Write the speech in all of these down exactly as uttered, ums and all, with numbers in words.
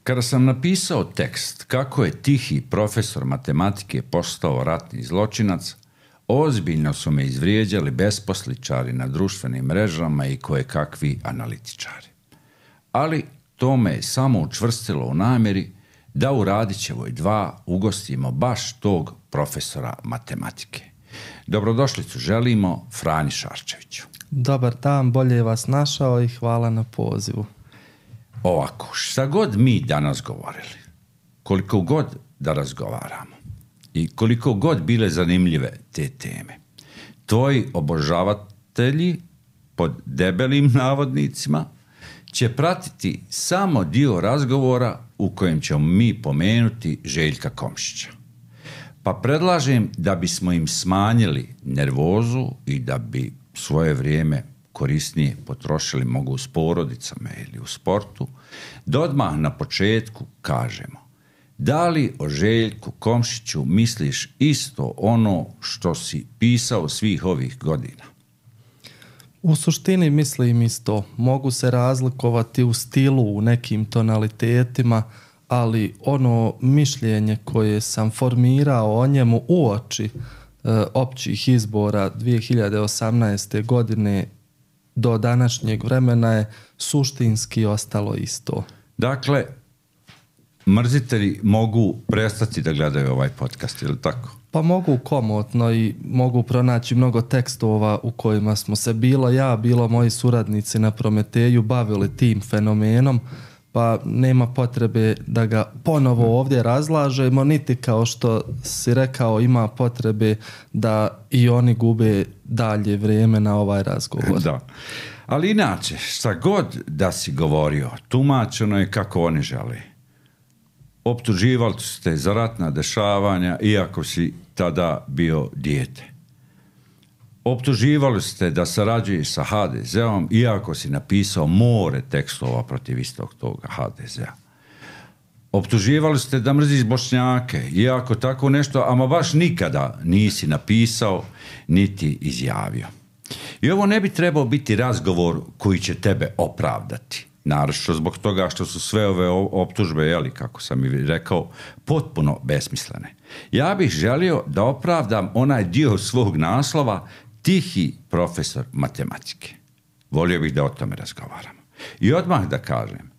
Kada sam napisao tekst kako je tihi profesor matematike postao ratni zločinac, ozbiljno su me izvrijeđali besposličari na društvenim mrežama i kojekakvi analitičari. Ali to me je samo učvrstilo u namjeri da u Radićevoj dva ugostimo baš tog profesora matematike. Dobrodošlicu želimo Franji Šarčeviću. Dobar dan, bolje vas našao i hvala na pozivu. Ovako, šta god mi danas govorili, koliko god da razgovaramo i koliko god bile zanimljive te teme, tvoji obožavatelji, pod debelim navodnicima, će pratiti samo dio razgovora u kojem ćemo mi pomenuti Željka Komšića. Pa predlažem da bismo im smanjili nervozu i da bi svoje vrijeme korisnije potrošili mogu s porodicama ili u sportu, da odmah na početku kažemo da li o Željku Komšiću misliš isto ono što si pisao svih ovih godina? U suštini mislim isto. Mogu se razlikovati u stilu, u nekim tonalitetima, ali ono mišljenje koje sam formirao o njemu uoči e, općih izbora dvije hiljade osamnaeste. godine do današnjeg vremena je suštinski ostalo isto. Dakle, mrzitelji mogu prestati da gledaju ovaj podcast, ili tako? Pa mogu komotno i mogu pronaći mnogo tekstova u kojima smo se bilo ja, bilo moji suradnici na Prometeju bavili tim fenomenom, pa nema potrebe da ga ponovo ovdje razlažemo, niti kao što si rekao ima potrebe da i oni gube dalje vrijeme na ovaj razgovor. Da. Ali inače, šta god da si govorio, tumačeno je kako oni žele. Optuživali su te za ratna dešavanja, iako si tada bio dijete. Optuživali ste da sarađuješ sa ha de zeom, iako si napisao more tekstova protiv istog toga ha de zea. Optuživali ste da mrziš Bošnjake, iako tako nešto, ama baš nikada nisi napisao, niti izjavio. I ovo ne bi trebao biti razgovor koji će tebe opravdati. Naravno zbog toga što su sve ove optužbe, jeli, kako sam i rekao, potpuno besmislene. Ja bih želio da opravdam onaj dio svog naslova tihi profesor matematike. Volio bih da o tome razgovaramo. I odmah da kažem,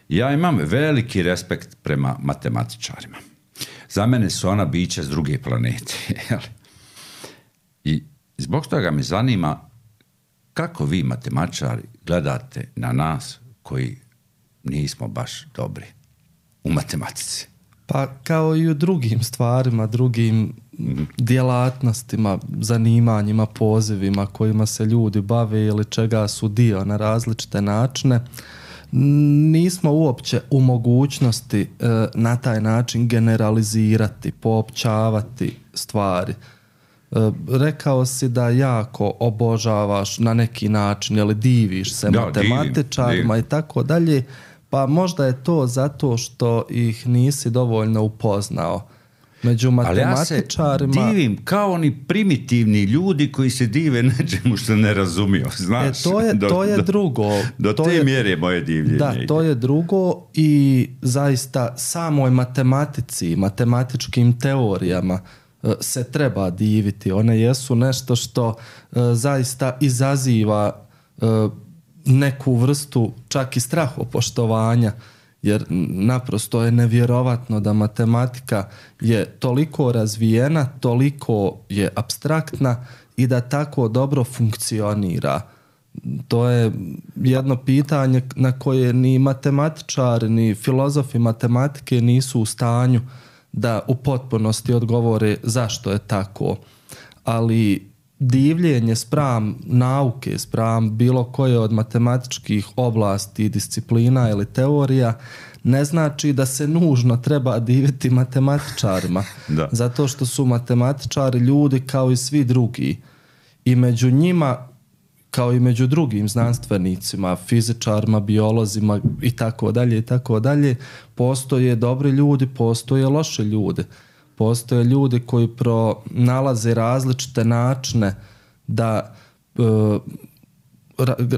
ja imam veliki respekt prema matematičarima. Za mene su ona bića s druge planete. Jeli? I zbog toga me zanima kako vi matematičari gledate na nas koji nismo baš dobri u matematici. Pa kao i u drugim stvarima, drugim mm-hmm. djelatnostima, zanimanjima, pozivima kojima se ljudi bave ili čega su dio na različite načine, nismo uopće u mogućnosti e, na taj način generalizirati, poopćavati stvari. E, rekao si da jako obožavaš na neki način, ili diviš se da, matematičarima divim, divim. I tako dalje, pa možda je to zato što ih nisi dovoljno upoznao. Među matematičarima... Ali ja se divim kao oni primitivni ljudi koji se dive nečemu što ne razumiju, znaš. E, to je, do, to je do, drugo. Do to te je, mjere moje divljenje. Da, to je drugo i zaista samoj matematici, matematičkim teorijama se treba diviti. One jesu nešto što uh, zaista izaziva uh, neku vrstu čak i strahopoštovanja, jer naprosto je nevjerovatno da matematika je toliko razvijena, toliko je apstraktna i da tako dobro funkcionira. To je jedno pitanje na koje ni matematičari, ni filozofi matematike nisu u stanju da u potpunosti odgovore zašto je tako. Ali divljenje spram nauke, spram bilo koje od matematičkih oblasti, disciplina ili teorija ne znači da se nužno treba diviti matematičarima. Da. Zato što su matematičari ljudi kao i svi drugi. I među njima, kao i među drugim znanstvenicima, fizičarima, biolozima i tako dalje i tako dalje, postoje dobri ljudi, postoje loši ljudi. Postoje ljudi koji pronalaze različite načine da e,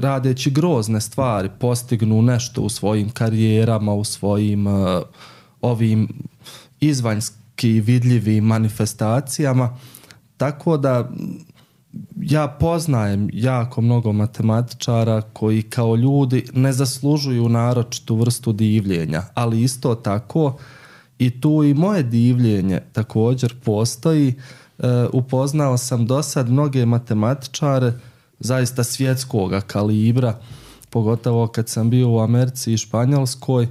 radeći grozne stvari postignu nešto u svojim karijerama, u svojim uh, ovim izvanjski vidljivim manifestacijama. Tako da ja poznajem jako mnogo matematičara koji kao ljudi ne zaslužuju naročitu vrstu divljenja, ali isto tako i tu i moje divljenje također postoji. E, upoznao sam do sad mnoge matematičare zaista svjetskog kalibra, pogotovo kad sam bio u Americi i Španjolskoj, e,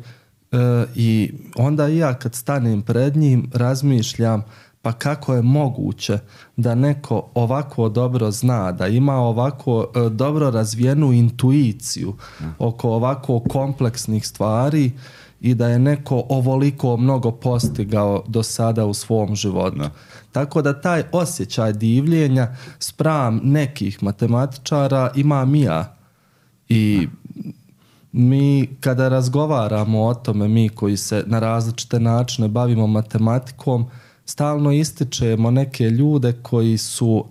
i onda i ja kad stanem pred njim razmišljam pa kako je moguće da neko ovako dobro zna, da ima ovako e, dobro razvijenu intuiciju oko ovako kompleksnih stvari i da je neko ovoliko mnogo postigao do sada u svom životu. Da. Tako da taj osjećaj divljenja spram nekih matematičara imam i ja. I mi kada razgovaramo o tome, mi koji se na različite načine bavimo matematikom, stalno ističemo neke ljude koji su,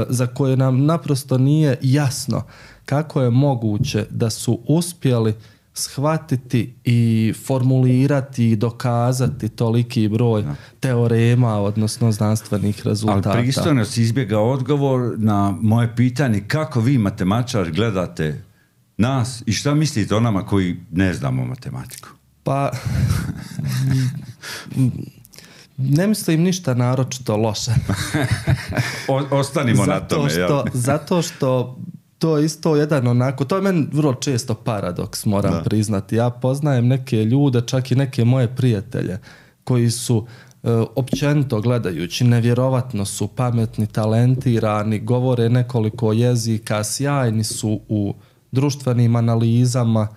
za koje nam naprosto nije jasno kako je moguće da su uspjeli shvatiti i formulirati i dokazati toliki broj no. teorema, odnosno znanstvenih rezultata. Ali pristojno si izbjegao odgovor na moje pitanje kako vi matematičar gledate nas i šta mislite o nama koji ne znamo matematiku? Pa ne mislim ništa naročito loše. o, ostanimo zato na tome. Što, ja. Zato što to je isto jedan onako, to je meni vrlo često paradoks, moram da. priznati. Ja poznajem neke ljude, čak i neke moje prijatelje, koji su e, općenito gledajući, nevjerovatno su pametni, talentirani, govore nekoliko jezika, sjajni su u društvenim analizama,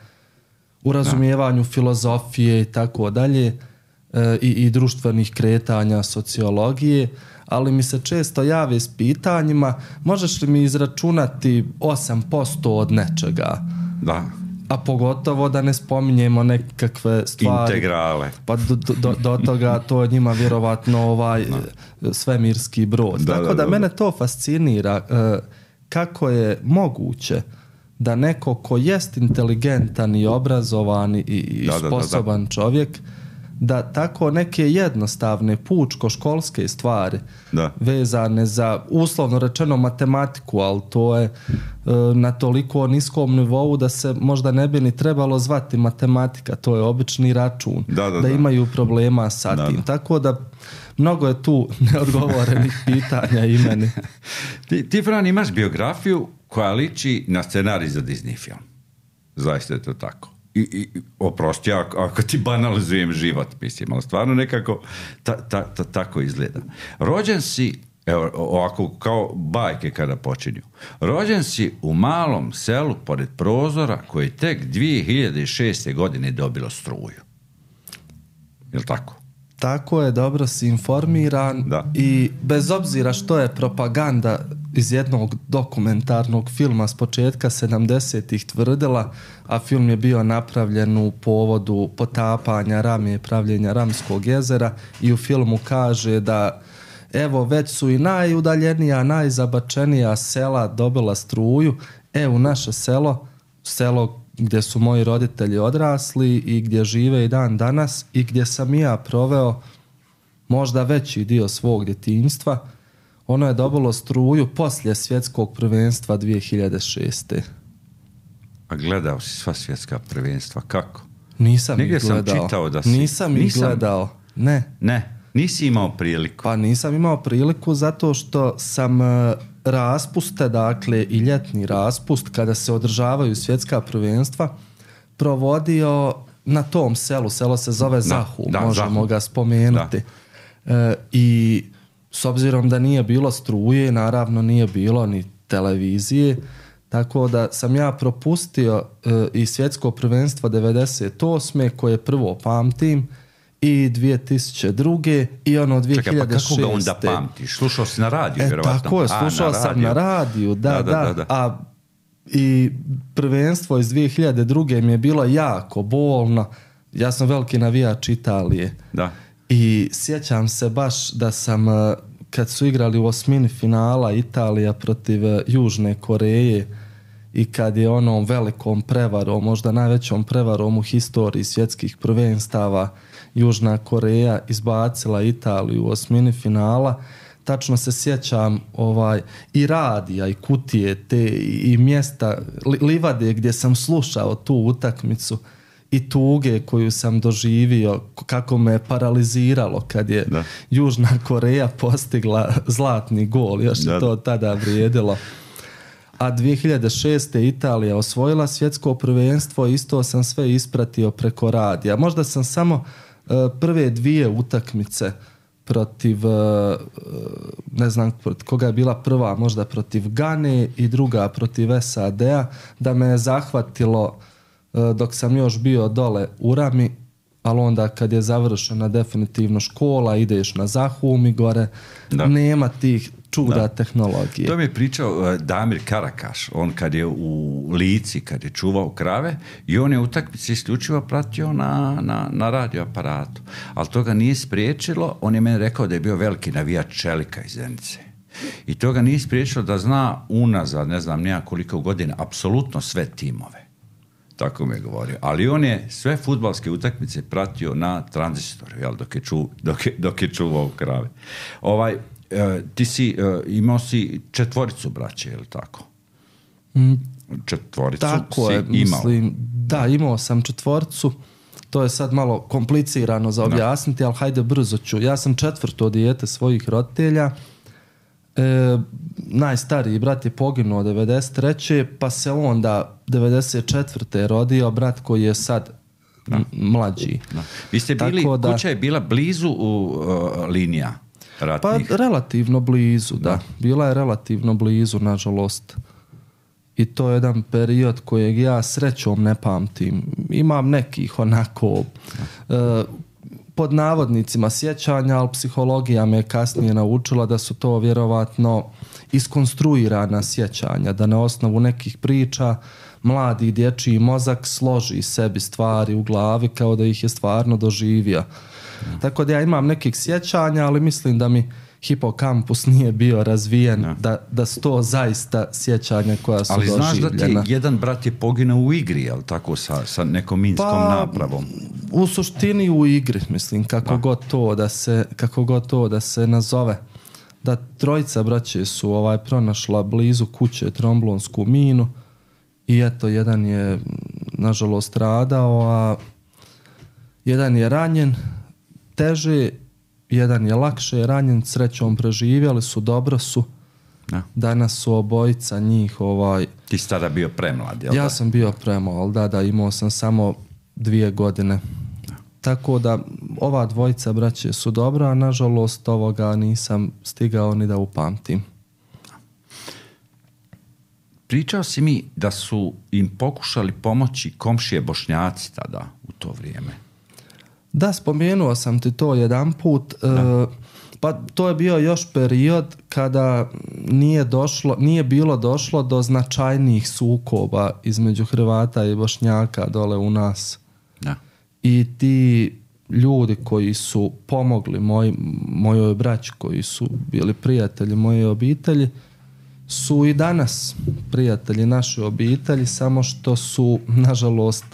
u razumijevanju da. filozofije i tako dalje, i, i društvenih kretanja, sociologije, ali mi se često jave s pitanjima možeš li mi izračunati osam posto od nečega? Da. A pogotovo da ne spominjemo nekakve stvari. Integrale. Pa do, do, do toga to je njima vjerovatno ovaj da. svemirski brod. Da, Tako da, da, da mene to fascinira. Kako je moguće da neko ko jest inteligentan i obrazovan i, i da, sposoban da, da, da. čovjek, da tako neke jednostavne pučko-školske stvari da. vezane za uslovno rečeno matematiku, ali to je e, na toliko niskom nivou da se možda ne bi ni trebalo zvati matematika, to je obični račun, da, da, da, da imaju problema sa da, tim. Da. Tako da mnogo je tu neodgovorenih pitanja i meni. Ti, ti Fran, imaš biografiju koja liči na scenarij za Disney film. Zaista je to tako. I, i oprosti ako, ako ti banalizujem život, mislim, ali stvarno nekako ta, ta, ta, tako izgleda. Rođen si, evo, ovako kao bajke kada počinju, rođen si u malom selu pored prozora koje tek dvije hiljade šeste. godine dobilo struju. Je li tako? Tako je, dobro si informiran da. I bez obzira što je propaganda iz jednog dokumentarnog filma s početka sedamdesetih tvrdila, a film je bio napravljen u povodu potapanja Rame, pravljenja Ramskog jezera, i u filmu kaže da evo već su i najudaljenija, najzabačenija sela dobila struju, e u naše selo, selo gdje su moji roditelji odrasli i gdje žive i dan danas i gdje sam i ja proveo možda veći dio svog djetinjstva, ono je dobilo struju poslije svjetskog prvenstva dvije hiljade šeste. A gledao si sva svjetska prvenstva, kako? Nisam Negdje ih gledao. sam čitao da si... Nisam ih gledao, ne. Ne, nisi imao priliku. Pa nisam imao priliku zato što sam raspuste, dakle i ljetni raspust, kada se održavaju svjetska prvenstva, provodio na tom selu. Selo se zove Zahum, da, možemo Zahum. ga spomenuti. E, I s obzirom da nije bilo struje, naravno nije bilo ni televizije, tako da sam ja propustio e, i svjetsko prvenstvo devedeset osme koje prvo pamtim, i dvije tisuće druge i ono dvije hiljade šeste. Čekaj, pa kako ga onda pamtiš? Slušao si na radiju, e, vjerovatno. Tako je, slušao A, sam na radiju, da, da, da, da, da. A i prvenstvo iz dvije hiljade druge mi je bilo jako bolno. Ja sam veliki navijač Italije. Da. I sjećam se baš da sam, kad su igrali u osmini finala Italija protiv Južne Koreje, i kad je onom velikom prevarom, možda najvećom prevarom u historiji svjetskih prvenstava, Južna Koreja izbacila Italiju u osmini finala. Tačno se sjećam ovaj, i radija i kutije te i mjesta, li, livade gdje sam slušao tu utakmicu i tuge koju sam doživio, kako me paraliziralo kad je da. Južna Koreja postigla zlatni gol, još da. je to tada vrijedilo. A dvije hiljade šeste. Italija osvojila svjetsko prvenstvo, isto sam sve ispratio preko radija. Možda sam samo uh, prve dvije utakmice protiv, uh, ne znam protiv koga je bila prva, možda protiv Gane i druga protiv S A D-a, da me je zahvatilo uh, dok sam još bio dole u Rami, ali onda kad je završena definitivno škola, ideš na Zahum i gore, da. nema tih čuda da. tehnologije. To mi je pričao uh, Damir Karakaš, on kad je u Lici, kad je čuvao krave i on je utakmice isključivo pratio na, na, na radioaparatu. Ali to ga nije spriječilo, on je meni rekao da je bio veliki navijač Čelika iz Zenice. I to ga nije spriječilo da zna unazad, ne znam nija koliko godina, apsolutno sve timove. Tako mi je govorio. Ali on je sve fudbalske utakmice pratio na tranzistoru, jel, dok je, ču, dok je, dok je čuvao krave. Ovaj, ti si, imao si četvoricu braće, je li tako? Četvoricu tako si je, imao. Mislim, da, imao sam četvoricu. To je sad malo komplicirano za objasniti, ali hajde brzo ću. Ja sam četvrto dijete svojih roditelja. E, najstariji brat je poginuo devedeset treće pa se onda devedeset četvrte rodio brat koji je sad da. mlađi. Da. Vi ste bili, da, kuća je bila blizu u uh, linija ratnih? Pa relativno blizu, da. da. Bila je relativno blizu, nažalost. I to je jedan period kojeg ja srećom ne pamtim. Imam nekih onako uh, pod navodnicima sjećanja, ali psihologija me kasnije naučila da su to vjerovatno iskonstruirana sjećanja, da na osnovu nekih priča mladi dječji mozak složi sebi stvari u glavi kao da ih je stvarno doživio. Mm. Tako da ja imam nekih sjećanja, ali mislim da mi hipokampus nije bio razvijen, no. da, da su to zaista sjećanja koja su ali doživljena. Ali znaš da ti jedan brat je poginuo u igri, jel tako, sa, sa nekom minskom pa, napravom? U suštini u igri, mislim, kako da. god to da se, kako god to da se nazove. Da trojica braće su ovaj pronašla blizu kuće tromblonsku minu i eto, jedan je nažalost stradao, a jedan je ranjen teže, jedan je lakše ranjen, srećom preživjeli su, dobro su. Da. Danas su obojica njih ovaj... Ti si tada bio premlad, jel ja da? sam bio premlad, da, da, imao sam samo dvije godine. Da. Tako da ova dvojica braće su dobra, a nažalost ovoga nisam stigao ni da upamtim. Pričao si mi da su im pokušali pomoći komšije Bošnjaci tada, u to vrijeme. Da, spomenuo sam ti to jedan put. E, pa to je bio još period kada nije došlo, nije bilo došlo do značajnijih sukoba između Hrvata i Bošnjaka dole u nas. Da. I ti ljudi koji su pomogli moj, mojoj braći, koji su bili prijatelji moje obitelji, su i danas prijatelji naše obitelji, samo što su, nažalost,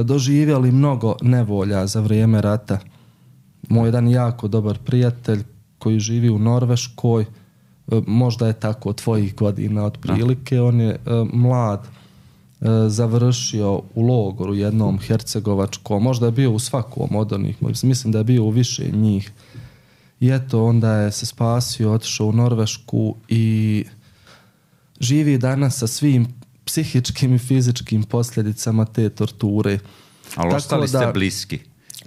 doživjeli mnogo nevolja za vrijeme rata. Moj jedan jako dobar prijatelj koji živi u Norveškoj, možda je tako tvojih godina otprilike, on je mlad završio u logoru jednom hercegovačkom, možda je bio u svakom od onih, mislim da je bio u više njih. I eto, onda je se spasio, otišao u Norvešku i živi danas sa svim psihičkim i fizičkim posljedicama te torture. Ali tako ostali ste da, bliski?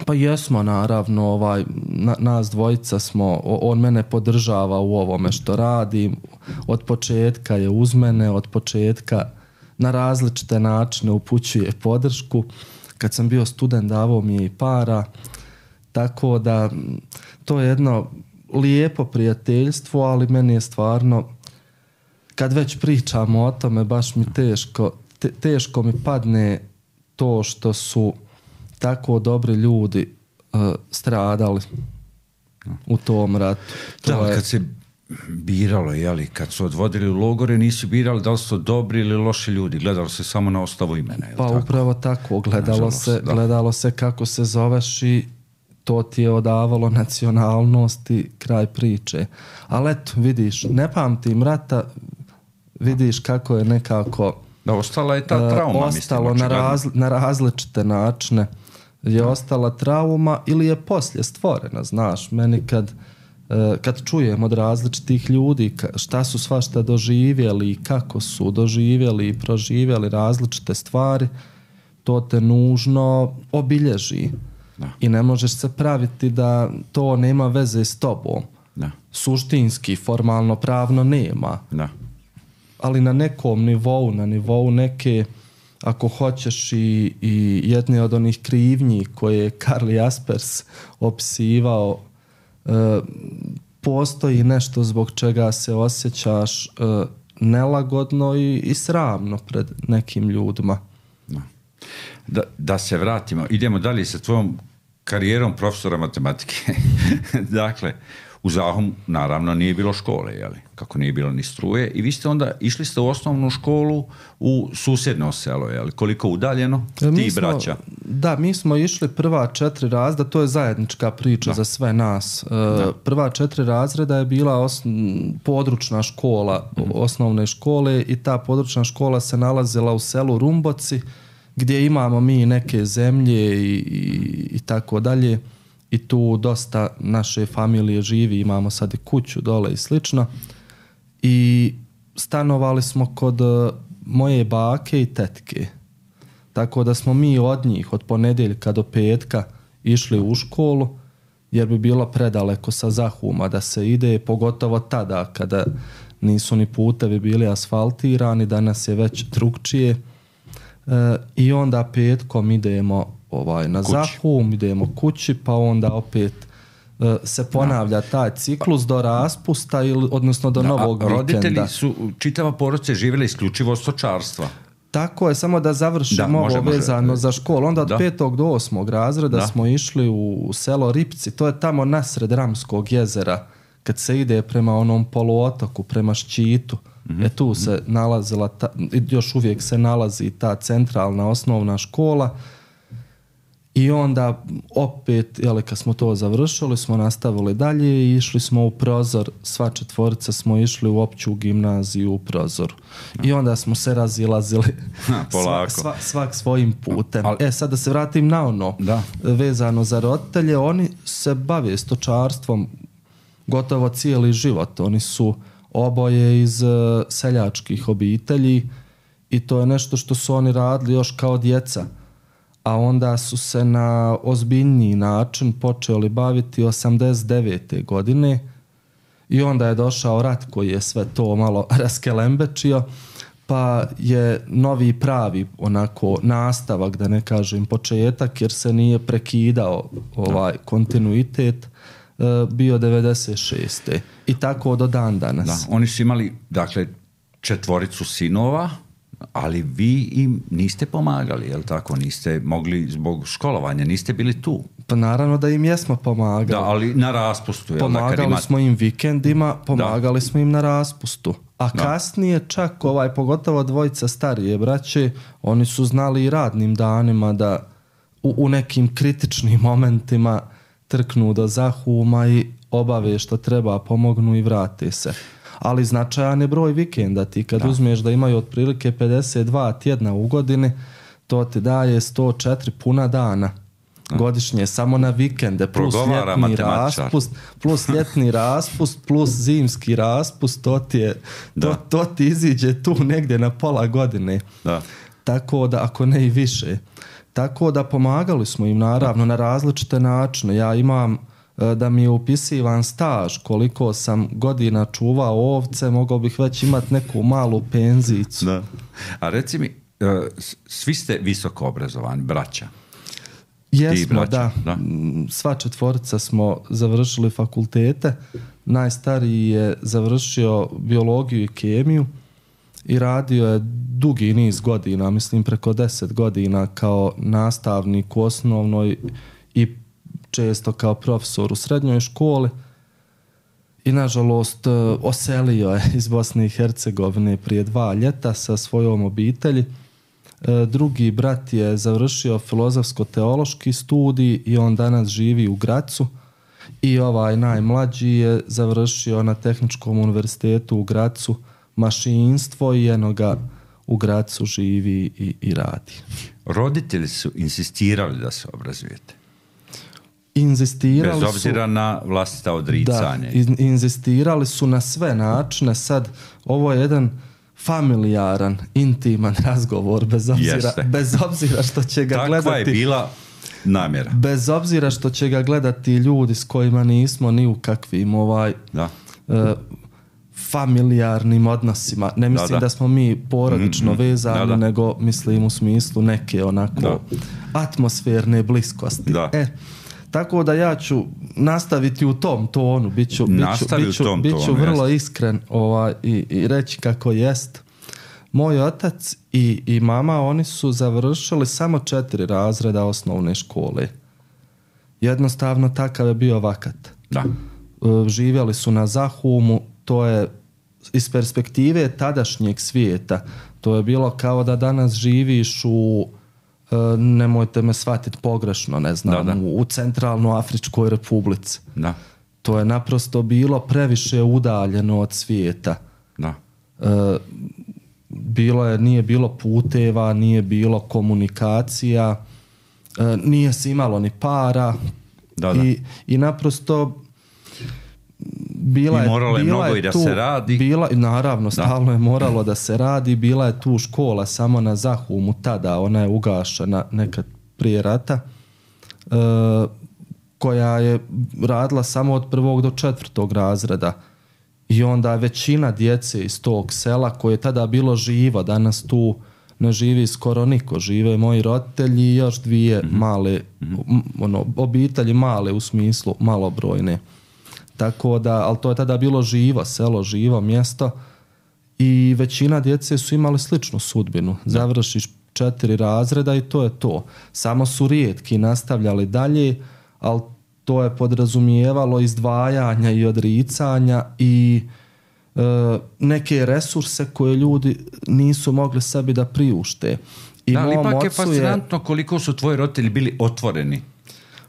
Pa jesmo, naravno. Ovaj, na, nas dvojica smo, on mene podržava u ovome što radim. Od početka je uz mene, od početka na različite načine upućuje podršku. Kad sam bio student, davao mi je i para. Tako da to je jedno lijepo prijateljstvo, ali meni je stvarno, kad već pričamo o tome, baš mi teško, te, teško mi padne to što su tako dobri ljudi uh, stradali u tom ratu. To da, je... kad se biralo, jeli, kad su odvodili u logore, nisu birali da li su dobri ili loši ljudi, gledalo se samo na osnovu imena. Pa tako? Upravo tako, gledalo, Nažalost, se, gledalo se kako se zoveš i to ti je odavalo nacionalnost i kraj priče. Ali eto, vidiš, ne pamtim rata, vidiš kako je nekako... Da, ostala je ta trauma, ostalo mislim, na, razli, na različite načine. Je da. ostala trauma ili je poslije stvorena, znaš, meni kad... kad čujem od različitih ljudi šta su svašta doživjeli i kako su doživjeli i proživjeli različite stvari, to te nužno obilježi. Da. I ne možeš se praviti da to nema veze s tobom. Da. Suštinski, formalno, pravno nema. Da. Ali na nekom nivou, na nivou neke, ako hoćeš i, i jedne od onih krivnji koje je Karl Jaspers opisivao, Uh, postoji nešto zbog čega se osjećaš uh, nelagodno i, i sramno pred nekim ljudima. Da, da se vratimo, idemo dalje sa tvojom karijerom profesora matematike. Dakle, u Zahom naravno nije bilo škole, jeli? Kako nije bilo ni struje, i vi ste onda išli ste u osnovnu školu u susjedno selo, jeli? Koliko udaljeno, ti mi smo, braća? Da, mi smo išli prva četiri razreda, to je zajednička priča da. za sve nas. Da. Prva četiri razreda je bila os, područna škola, mm. osnovne škole, i ta područna škola se nalazila u selu Rumboci, gdje imamo mi neke zemlje i, i, i tako dalje. I tu dosta naše familije živi, imamo sad i kuću dole i slično. I stanovali smo kod moje bake i tetke. Tako da smo mi od njih, od ponedjeljka do petka, išli u školu, jer bi bilo predaleko sa Zahuma da se ide, pogotovo tada kada nisu ni putevi bili asfaltirani, danas je već drugčije. E, I onda petkom idemo ovaj, na kući. Zahum, idemo kući, pa onda opet uh, se ponavlja taj ciklus do raspusta, ili, odnosno do da, novog vikenda. Roditelji su, čitava porodica živjela isključivo od stočarstva. Tako je, samo da završimo ovo može, vezano može. za školu. Onda od da. petog do osmog razreda da. smo išli u selo Ripci, to je tamo nasred Ramskog jezera, kad se ide prema onom poluotoku, prema Ščitu. Mm-hmm. E tu se nalazila, ta, još uvijek se nalazi ta centralna osnovna škola. I onda opet, jeli, kad smo to završili, smo nastavili dalje i išli smo u Prozor, sva četvorica smo išli u opću gimnaziju u Prozoru. I onda smo se razilazili polako. Sva, sva, svak svojim putem. Ali, e, sad da se vratim na ono, da. vezano za roditelje, oni se bave stočarstvom gotovo cijeli život. Oni su oboje iz uh, seljačkih obitelji i to je nešto što su oni radili još kao djeca. A onda su se na ozbiljniji način počeli baviti osamdeset devete godine i onda je došao rat koji je sve to malo raskelembečio, pa je novi pravi onako nastavak, da ne kažem početak, jer se nije prekidao ovaj kontinuitet, bio devedeset šeste i tako do dan danas. Da, oni su imali, dakle, četvoricu sinova, ali vi im niste pomagali, jel tako? Niste mogli zbog školovanja, niste bili tu. Pa naravno da im jesmo pomagali. Da, ali na raspustu. Jel, pomagali ima... smo im vikendima, pomagali da. smo im na raspustu. A da. kasnije čak, ovaj, pogotovo dvojica starije braće, oni su znali i radnim danima da u, u nekim kritičnim momentima trknu do Zahuma i obave što treba, pomognu i vrate se. Ali značajan je broj vikenda. Ti kad da. uzmeš da imaju otprilike pedeset dva tjedna u godini, to ti daje sto četiri puna dana da. godišnje, samo na vikende, plus Progovara ljetni raspust, plus ljetni raspust, plus zimski raspust, to ti, je, to, to ti iziđe tu negdje na pola godine. Da. Tako da, ako ne i više. Tako da pomagali smo im naravno na različite načine. Ja imam da mi je upisivan staž, koliko sam godina čuvao ovce, mogao bih već imati neku malu penzicu. Da. A reci mi, svi ste visoko obrazovani, braća? Jesmo, braća, da. da. Sva četvorica smo završili fakultete. Najstariji je završio biologiju i kemiju i radio je dugi niz godina, mislim preko deset godina kao nastavnik u osnovnoj i često kao profesor u srednjoj školi. i nažalost oselio je iz Bosne i Hercegovine prije dva ljeta sa svojom obitelji. Drugi brat je završio filozofsko-teološki studij i on danas živi u Gracu. I ovaj najmlađi je završio na Tehničkom univerzitetu u Gracu mašinstvo i jednoga u Gracu živi i, i radi. Roditelji su insistirali da se obrazujete? Inzistirali Bez obzira su, na vlastita odricanje. Da, inzistirali su na sve načine. Sad, ovo je jedan familijaran, intiman razgovor, bez obzira, bez obzira što će ga Takva gledati... Takva je bila namjera. Bez obzira što će ga gledati ljudi s kojima nismo ni u kakvim ovaj... Da. Uh, familijarnim odnosima. Ne mislim da, da. da smo mi porodično mm-hmm. vezani, da, da. nego mislim u smislu neke onako da. atmosferne bliskosti. Da. E, tako da ja ću nastaviti u tom tonu, bit ću, biću, biću, tom biću tonu, vrlo jest. iskren ovaj, i, i reći kako jest. Moj otac i, i mama, oni su završili samo četiri razreda osnovne škole. Jednostavno takav je bio vakat. Da. Živjeli su na Zahumu, to je iz perspektive tadašnjeg svijeta, to je bilo kao da danas živiš u, nemojte me shvatiti pogrešno, ne znam, da, da. u Centralnoafričkoj republici. Da. To je naprosto bilo previše udaljeno od svijeta. Da. E, bilo je, nije bilo puteva, nije bilo komunikacija, e, nije se imalo ni para. Da, da. I, i naprosto bila I moralo je, bila mnogo je i da tu, se radi. Bila, naravno, da. stalno je moralo da se radi. Bila je tu škola samo na Zahumu tada, ona je ugašena nekad prije rata, e, koja je radila samo od prvog do četvrtog razreda. I onda većina djece iz tog sela koje je tada bilo živo, danas tu ne živi skoro niko, žive moji roditelji i još dvije mm-hmm. male, mm-hmm. ono, obitelji male u smislu malobrojne. Tako da, ali to je tada bilo živo selo, živo mjesto i većina djece su imali sličnu sudbinu. Da. Završiš četiri razreda i to je to. Samo su rijetki nastavljali dalje, ali to je podrazumijevalo izdvajanja i odricanja i e, neke resurse koje ljudi nisu mogli sebi da priušte. I da, ali ipak je fascinantno je... koliko su tvoji roditelji bili otvoreni.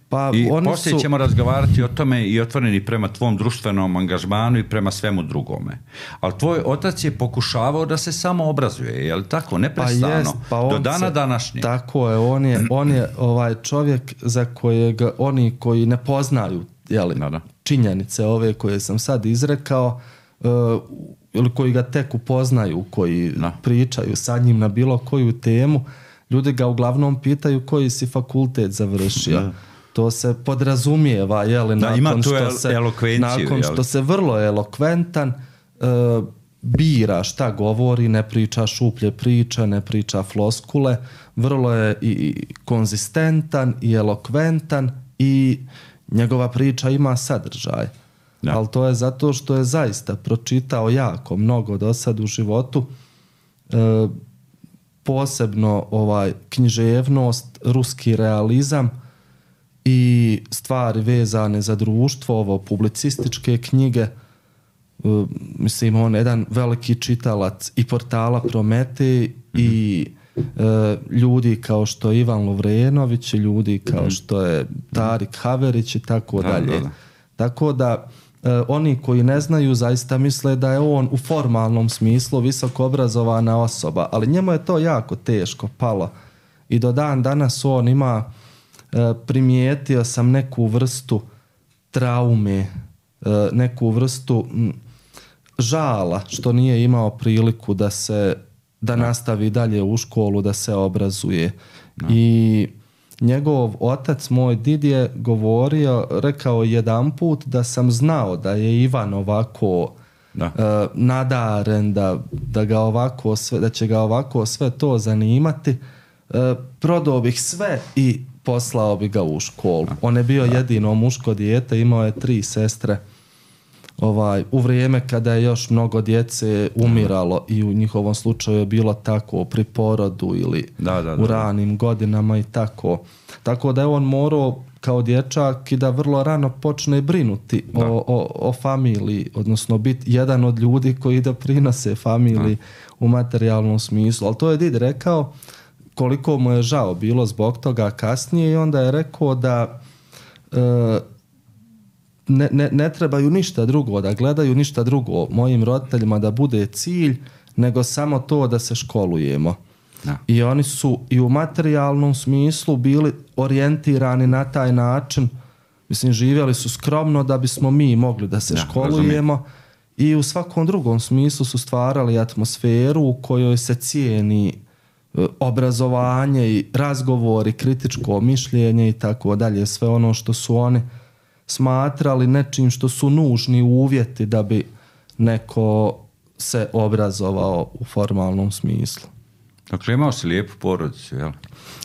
Pa I oni poslije su... ćemo razgovarati o tome i otvoreni prema tvom društvenom angažmanu i prema svemu drugome. Ali tvoj otac je pokušavao da se samo obrazuje, je li tako? Neprestano. Pa jest, pa do dana se, današnje. Tako je, on je, on je ovaj čovjek za kojeg oni koji ne poznaju, jeli, da, da. činjenice ove koje sam sad izrekao, uh, ili koji ga tek upoznaju, koji da. pričaju sa njim na bilo koju temu, ljudi ga uglavnom pitaju koji si fakultet završio. Da. To se podrazumijeva, jeli, da, nakon, što el- se, nakon jeli. što se vrlo elokventan uh, bira šta govori, ne priča šuplje priče, ne priča floskule, vrlo je i, i konzistentan i elokventan i njegova priča ima sadržaj. Da. Ali to je zato što je zaista pročitao jako mnogo do sad u životu, uh, posebno ovaj književnost, ruski realizam i stvari vezane za društvo, ovo publicističke knjige. Uh, mislim, on je jedan veliki čitalac i portala Prometej mm-hmm. i uh, ljudi kao što je Ivan Lovrenović i ljudi kao mm-hmm. što je Tarik Haverić i tako da, dalje. Da, da. Tako da uh, oni koji ne znaju zaista misle da je on u formalnom smislu visoko obrazovana osoba, ali njemu je to jako teško palo. I do dan danas on ima primijetio sam neku vrstu traume, neku vrstu žala što nije imao priliku da se da no. nastavi dalje u školu, da se obrazuje. No. I njegov otac, moj did, je govorio, rekao jedan put da sam znao da je Ivan ovako da. Uh, nadaren, da, da, ga ovako sve, da će ga ovako sve to zanimati. Uh, prodao bih sve i poslao bi ga u školu. On je bio da. jedino muško dijete, imao je tri sestre. ovaj, u vrijeme kada je još mnogo djece umiralo i u njihovom slučaju je bilo tako pri porodu ili da, da, da, u ranim godinama i tako. Tako da je on morao kao dječak i da vrlo rano počne brinuti o, o, o familiji, odnosno biti jedan od ljudi koji da prinose familiji da. u materijalnom smislu. Ali to je Did rekao koliko mu je žao bilo zbog toga kasnije i onda je rekao da e, ne, ne, ne trebaju ništa drugo, da gledaju ništa drugo mojim roditeljima da bude cilj, nego samo to da se školujemo. Da. I oni su i u materijalnom smislu bili orijentirani na taj način, mislim živjeli su skromno da bismo mi mogli da se da, školujemo razumijem. I u svakom drugom smislu su stvarali atmosferu u kojoj se cijeni obrazovanje i razgovori, kritičko mišljenje i tako dalje, sve ono što su oni smatrali nečim što su nužni uvjeti da bi neko se obrazovao u formalnom smislu. Dakle, imao si lijepu porodicu, jel?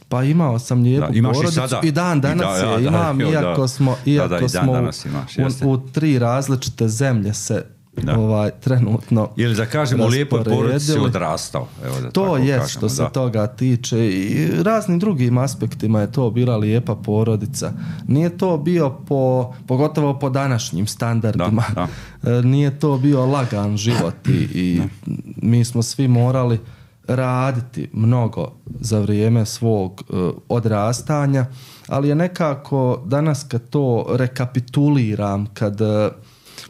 Pa imao sam lijepu da, porodicu i, i dan danas I da, je da, imam, da, iako da, smo, iako da, da, smo imaš, u, u tri različite zemlje se da. ovaj trenutno ili da kažemo lijepo porodici odrastao, evo da to je kažemo, što se da. toga tiče i raznim drugim aspektima je to bila lijepa porodica. Nije to bio po, pogotovo po današnjim standardima, da, da. nije to bio lagan život i, i mi smo svi morali raditi mnogo za vrijeme svog uh, odrastanja, ali je nekako danas kad to rekapituliram, kad uh,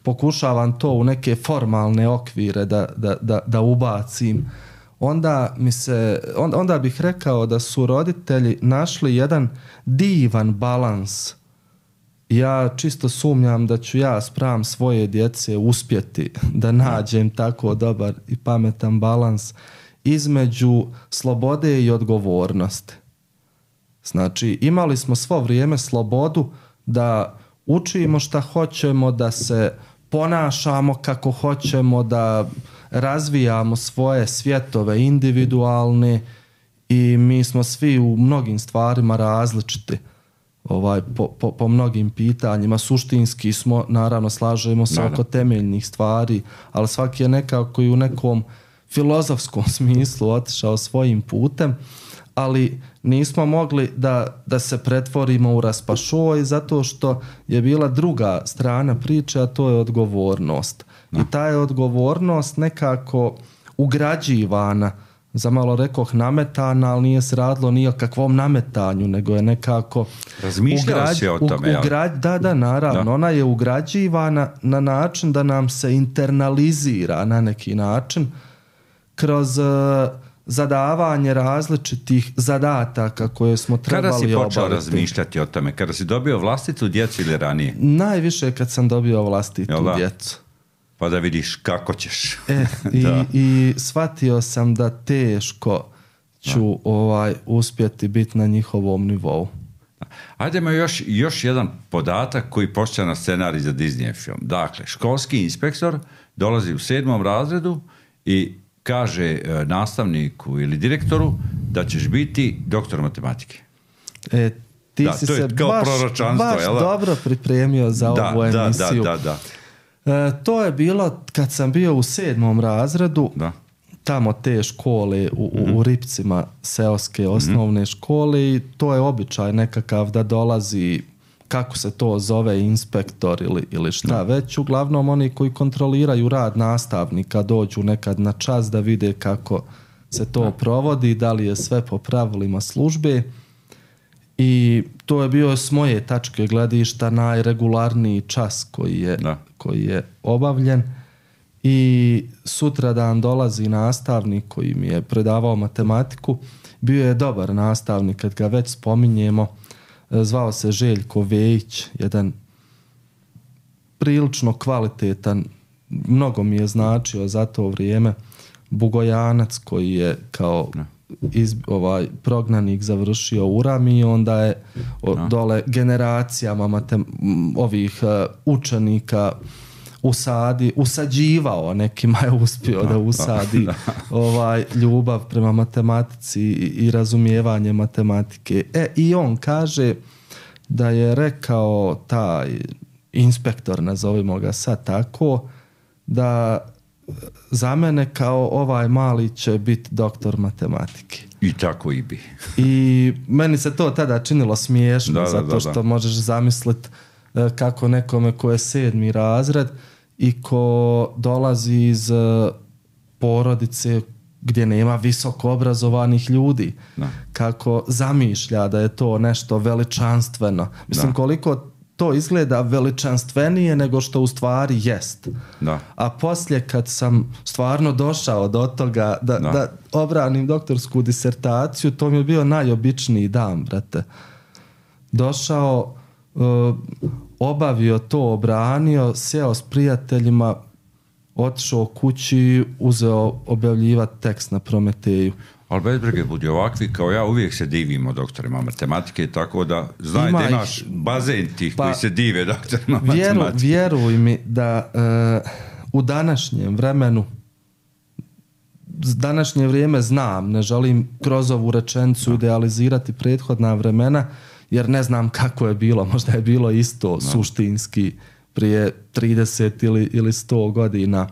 pokušavam to u neke formalne okvire da, da, da, da ubacim, onda, mi se, onda, onda bih rekao da su roditelji našli jedan divan balans. Ja čisto sumnjam da ću ja spram svoje djece uspjeti da nađem tako dobar i pametan balans između slobode i odgovornosti. Znači, imali smo svo vrijeme slobodu da učimo šta hoćemo, da se ponašamo kako hoćemo, da razvijamo svoje svjetove individualne i mi smo svi u mnogim stvarima različiti ovaj, po, po, po mnogim pitanjima. Suštinski smo, naravno, slažemo se oko temeljnih stvari, ali svaki je nekako i u nekom filozofskom smislu otišao svojim putem, ali nismo mogli da, da se pretvorimo u raspašoj zato što je bila druga strana priče, a to je odgovornost. No. I ta je odgovornost nekako ugrađivana, za malo rekoh nametana, ali nije se radilo ni o kakvom nametanju, nego je nekako razmišljao si o tome, ugrađ, da, da, naravno, da. Ona je ugrađivana na način da nam se internalizira na neki način kroz uh, zadavanje različitih zadataka koje smo trebali obaviti. Kada si počeo obaviti. razmišljati o tome? Kada si dobio vlastitu djecu ili ranije? Najviše kad sam dobio vlastitu djecu. Pa da vidiš kako ćeš. E, i, i shvatio sam da teško ću da. ovaj uspjeti biti na njihovom nivou. Ajdemo još, još jedan podatak koji postaje na scenarij za Disney film. Dakle, školski inspektor dolazi u sedmom razredu i kaže nastavniku ili direktoru da ćeš biti doktor matematike. E, ti da, si to se je kao baš, baš jel? dobro pripremio za da, ovu da, emisiju. Da, da, da. E, to je bilo kad sam bio u sedmom razredu, da. tamo te škole u, mm-hmm. u Ripcima, seoske osnovne mm-hmm. škole, i to je običaj nekakav da dolazi, kako se to zove, inspektor ili, ili šta da. već. Uglavnom oni koji kontroliraju rad nastavnika dođu nekad na čas da vide kako se to da. provodi, da li je sve po pravilima službe. I to je bio s moje tačke gledišta najregularniji čas koji je, koji je obavljen. I sutradan dolazi nastavnik koji mi je predavao matematiku. Bio je dobar nastavnik, kad ga već spominjemo. Zvao se Željko Vejić, jedan prilično kvalitetan, mnogo mi je značio za to vrijeme, Bugojanac koji je kao iz, ovaj, prognanik završio u Rami i onda je o, dole generacijama matem, ovih uh, učenika usadi, usađivao, nekima je uspio da, da usadi da, da. ovaj ljubav prema matematici i, i razumijevanje matematike. E, i on kaže da je rekao taj inspektor, nazovimo ga sad tako, da za mene kao ovaj mali će biti doktor matematike. I tako i bi. I meni se to tada činilo smiješno, da, da, zato da, što da. možeš zamisliti kako nekome ko je sedmi razred i ko dolazi iz porodice gdje nema visoko obrazovanih ljudi, da. kako zamišlja da je to nešto veličanstveno. Mislim, da. Koliko to izgleda veličanstvenije nego što u stvari jest. Da. A poslije kad sam stvarno došao do toga da, da. da obranim doktorsku disertaciju, to mi je bio najobičniji dan, brate. Došao, uh, obavio to, obranio, sjeo s prijateljima, otišao kući, uzeo objavljivati tekst na Prometeju. Ali bez brige, budi ovakvi kao ja, uvijek se divimo doktorima matematike, tako da znaj da imaš bazen tih pa, koji se dive doktorima vjeru, matematike. Vjeruj mi da uh, u današnjem vremenu, današnje vrijeme znam, ne želim kroz ovu rečenicu no. idealizirati prethodna vremena, jer ne znam kako je bilo, možda je bilo isto no. suštinski prije trideset ili, ili sto godina,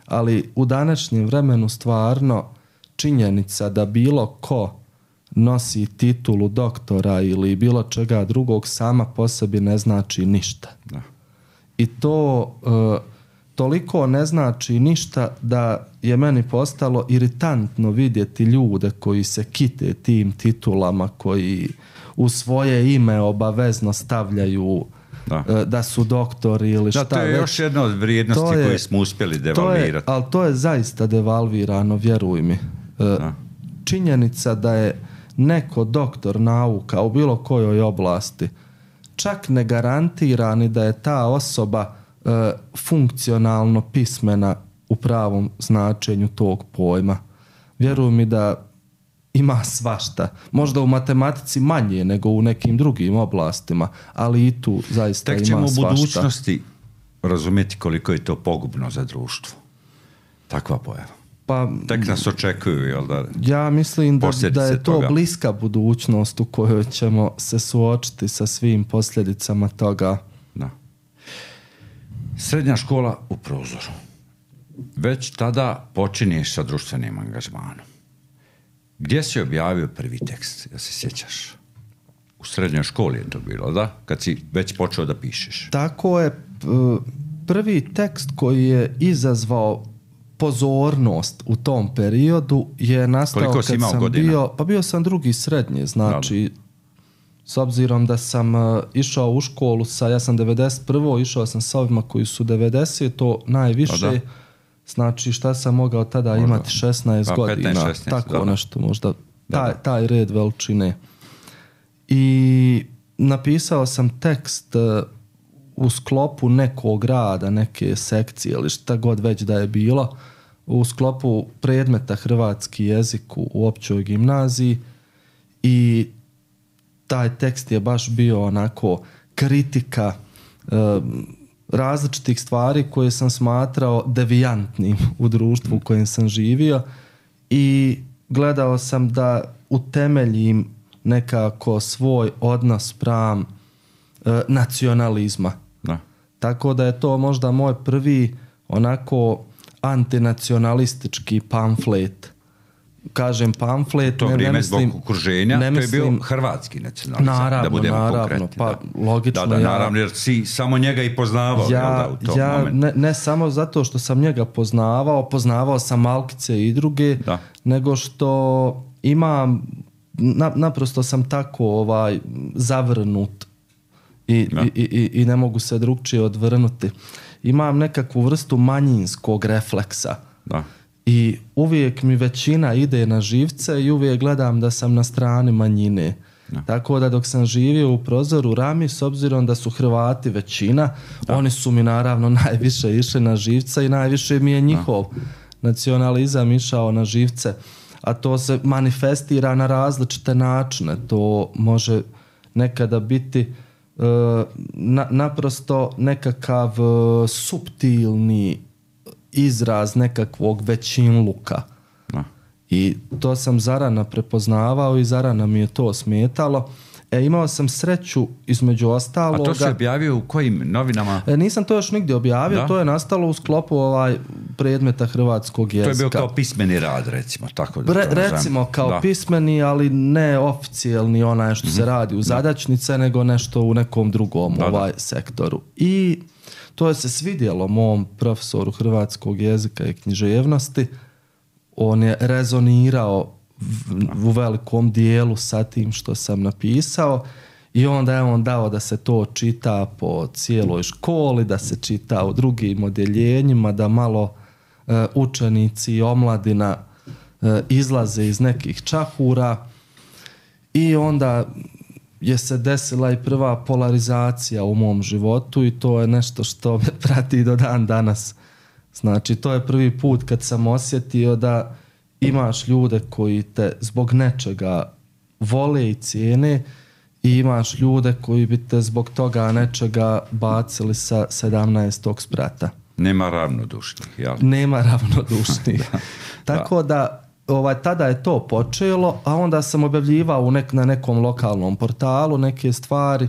ali u današnjem vremenu stvarno činjenica da bilo ko nosi titulu doktora ili bilo čega drugog sama po sebi ne znači ništa. Da. I to uh, toliko ne znači ništa da je meni postalo iritantno vidjeti ljude koji se kite tim titulama, koji u svoje ime obavezno stavljaju da, uh, da su doktori ili šta već. Da, to je već. još jedna od vrijednosti je, koje smo uspjeli devalvirati. To je, ali to je zaista devalvirano, vjeruj mi. Uh, činjenica da je neko doktor nauka u bilo kojoj oblasti čak ne garantira ni da je ta osoba uh, funkcionalno pismena u pravom značenju tog pojma. Vjeruj mi da ima svašta. Možda u matematici manje nego u nekim drugim oblastima, ali i tu zaista Tek ima svašta. Tek ćemo u budućnosti razumjeti koliko je to pogubno za društvo. Takva pojava. Pa, tek nas očekuju, jel da? Ja mislim da, da je to toga. bliska budućnost u kojoj ćemo se suočiti sa svim posljedicama toga. Da. Srednja škola u prozoru. Već tada počinješ sa društvenim angažmanom. Gdje si objavio prvi tekst, ja se sjećaš? U srednjoj školi je to bilo, da? Kad si već počeo da pišeš. Tako je. Prvi tekst koji je izazvao pozornost u tom periodu je nastao Koliko kad si imao sam godina? bio, pa bio sam drugi srednje, znači da. S obzirom da sam uh, išao u školu sa, ja sam devedeset prve išao sam sa ovima koji su devedeset, to najviše, da. Znači šta sam mogao tada možda imati šesnaest pa, godina, petnaest, šesnaest, tako da. Nešto možda, taj, taj red veličine. I napisao sam tekst uh, u sklopu nekog rada, neke sekcije ili šta god već da je bilo, u sklopu predmeta hrvatski jezik u općoj gimnaziji i taj tekst je baš bio onako kritika e, različitih stvari koje sam smatrao devijantnim u društvu u kojem sam živio i gledao sam da utemeljim nekako svoj odnos spram e, nacionalizma. Da. Tako da je to možda moj prvi onako antinacionalistički pamflet. Kažem pamflet, to ne, vrijeme ne mislim, zbog okruženja, ne to je bio mislim, hrvatski nacionalizam, naravno, da budemo naravno, konkretni. pa da. logično. Da, da, ja, naravno, jer si samo njega i poznavao. Ja, da, u tom ja momentu. Ne, ne samo zato što sam njega poznavao, poznavao sam Malkice i druge, da. Nego što imam, na, naprosto sam tako ovaj zavrnut i, i, i, i ne mogu se drugčije odvrnuti. Imam nekakvu vrstu manjinskog refleksa. Da. I uvijek mi većina ide na živce i uvijek gledam da sam na strani manjine. Da. Tako da dok sam živio u Prozoru Rami, s obzirom da su Hrvati većina, da. Oni su mi naravno najviše išli na živce i najviše mi je njihov da. Nacionalizam išao na živce. A to se manifestira na različite načine. To može nekada biti uh, na, naprosto nekakav uh, suptilni izraz nekakvog većinluka. Da. I to sam zarana prepoznavao i zarana mi je to smetalo. E, imao sam sreću između ostaloga... A to se objavio u kojim novinama? E, nisam to još nigdje objavio, da? To je nastalo u sklopu ovaj predmeta hrvatskog jezika. To je bio kao pismeni rad, recimo. Tako da Re, recimo kao da. pismeni, ali ne oficijalni onaj što mm-hmm. se radi u zadačnice, da. nego nešto u nekom drugom da, ovaj da. sektoru. I to je se svidjelo mom profesoru hrvatskog jezika i književnosti. On je rezonirao u velikom dijelu sa tim što sam napisao i onda je on dao da se to čita po cijeloj školi, da se čita u drugim odjeljenjima, da malo e, učenici i omladina e, izlaze iz nekih čahura i onda je se desila i prva polarizacija u mom životu i to je nešto što me prati do dan danas. Znači, to je prvi put kad sam osjetio da imaš ljude koji te zbog nečega vole i cijene i imaš ljude koji bi te zbog toga nečega bacili sa sedamnaestog sprata. Nema ravnodušnih, jel? Nema ravnodušnih. da, Tako da, da ovaj, tada je to počelo, a onda sam objavljivao u nek, na nekom lokalnom portalu neke stvari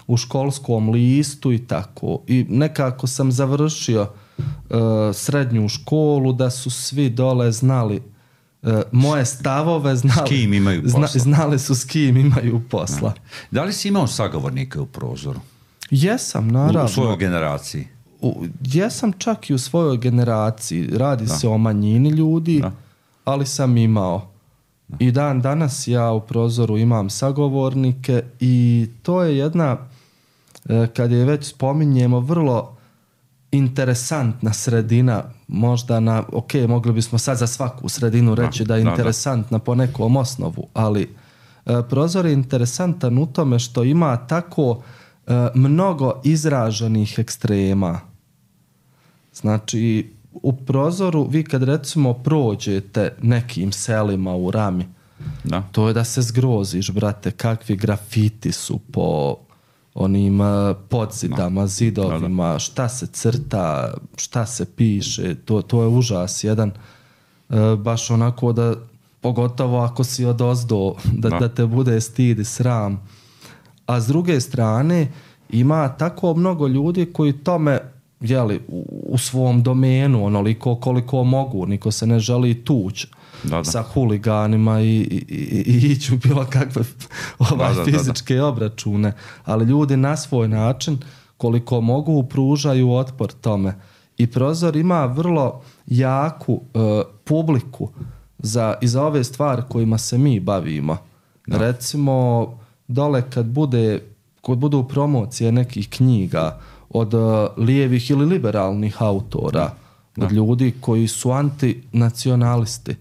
u školskom listu i tako. I nekako sam završio uh, srednju školu da su svi dole znali Uh, moje stavove, znali, s kim imaju posla. Zna, znali su s kim imaju posla. Da li si imao sagovornike u Prozoru? Jesam, naravno. U, u svojoj generaciji? U, jesam čak i u svojoj generaciji. Radi da. se o manjini ljudi, da. ali sam imao. Da. I dan danas ja u Prozoru imam sagovornike i to je jedna, kad je već spominjemo, vrlo interesantna sredina, možda na, ok, mogli bismo sad za svaku sredinu reći da, da je interesantna da, da. po nekom osnovu, ali e, Prozor je interesantan u tome što ima tako e, mnogo izraženih ekstrema. Znači, u Prozoru vi kad recimo prođete nekim selima u Rami, da. to je da se zgroziš, brate, kakvi grafiti su po onim podzidama, zidovima, da, da. šta se crta, šta se piše, to, to je užas jedan, e, baš onako da, pogotovo ako si odozdo, da, da. da te bude stid i sram. A s druge strane, ima tako mnogo ljudi koji tome, jeli, u, u svom domenu, onoliko koliko mogu, niko se ne želi tući da, da. sa huliganima i, i, i, i ići u bilo kakve ovaj, da, da, fizičke da, da. obračune, ali ljudi na svoj način koliko mogu pružaju otpor tome. I Prozor ima vrlo jaku uh, publiku za, i za ove stvari kojima se mi bavimo. Da. Recimo, dole kad bude kad budu promocije nekih knjiga od uh, lijevih ili liberalnih autora, da. od ljudi koji su antinacionalisti,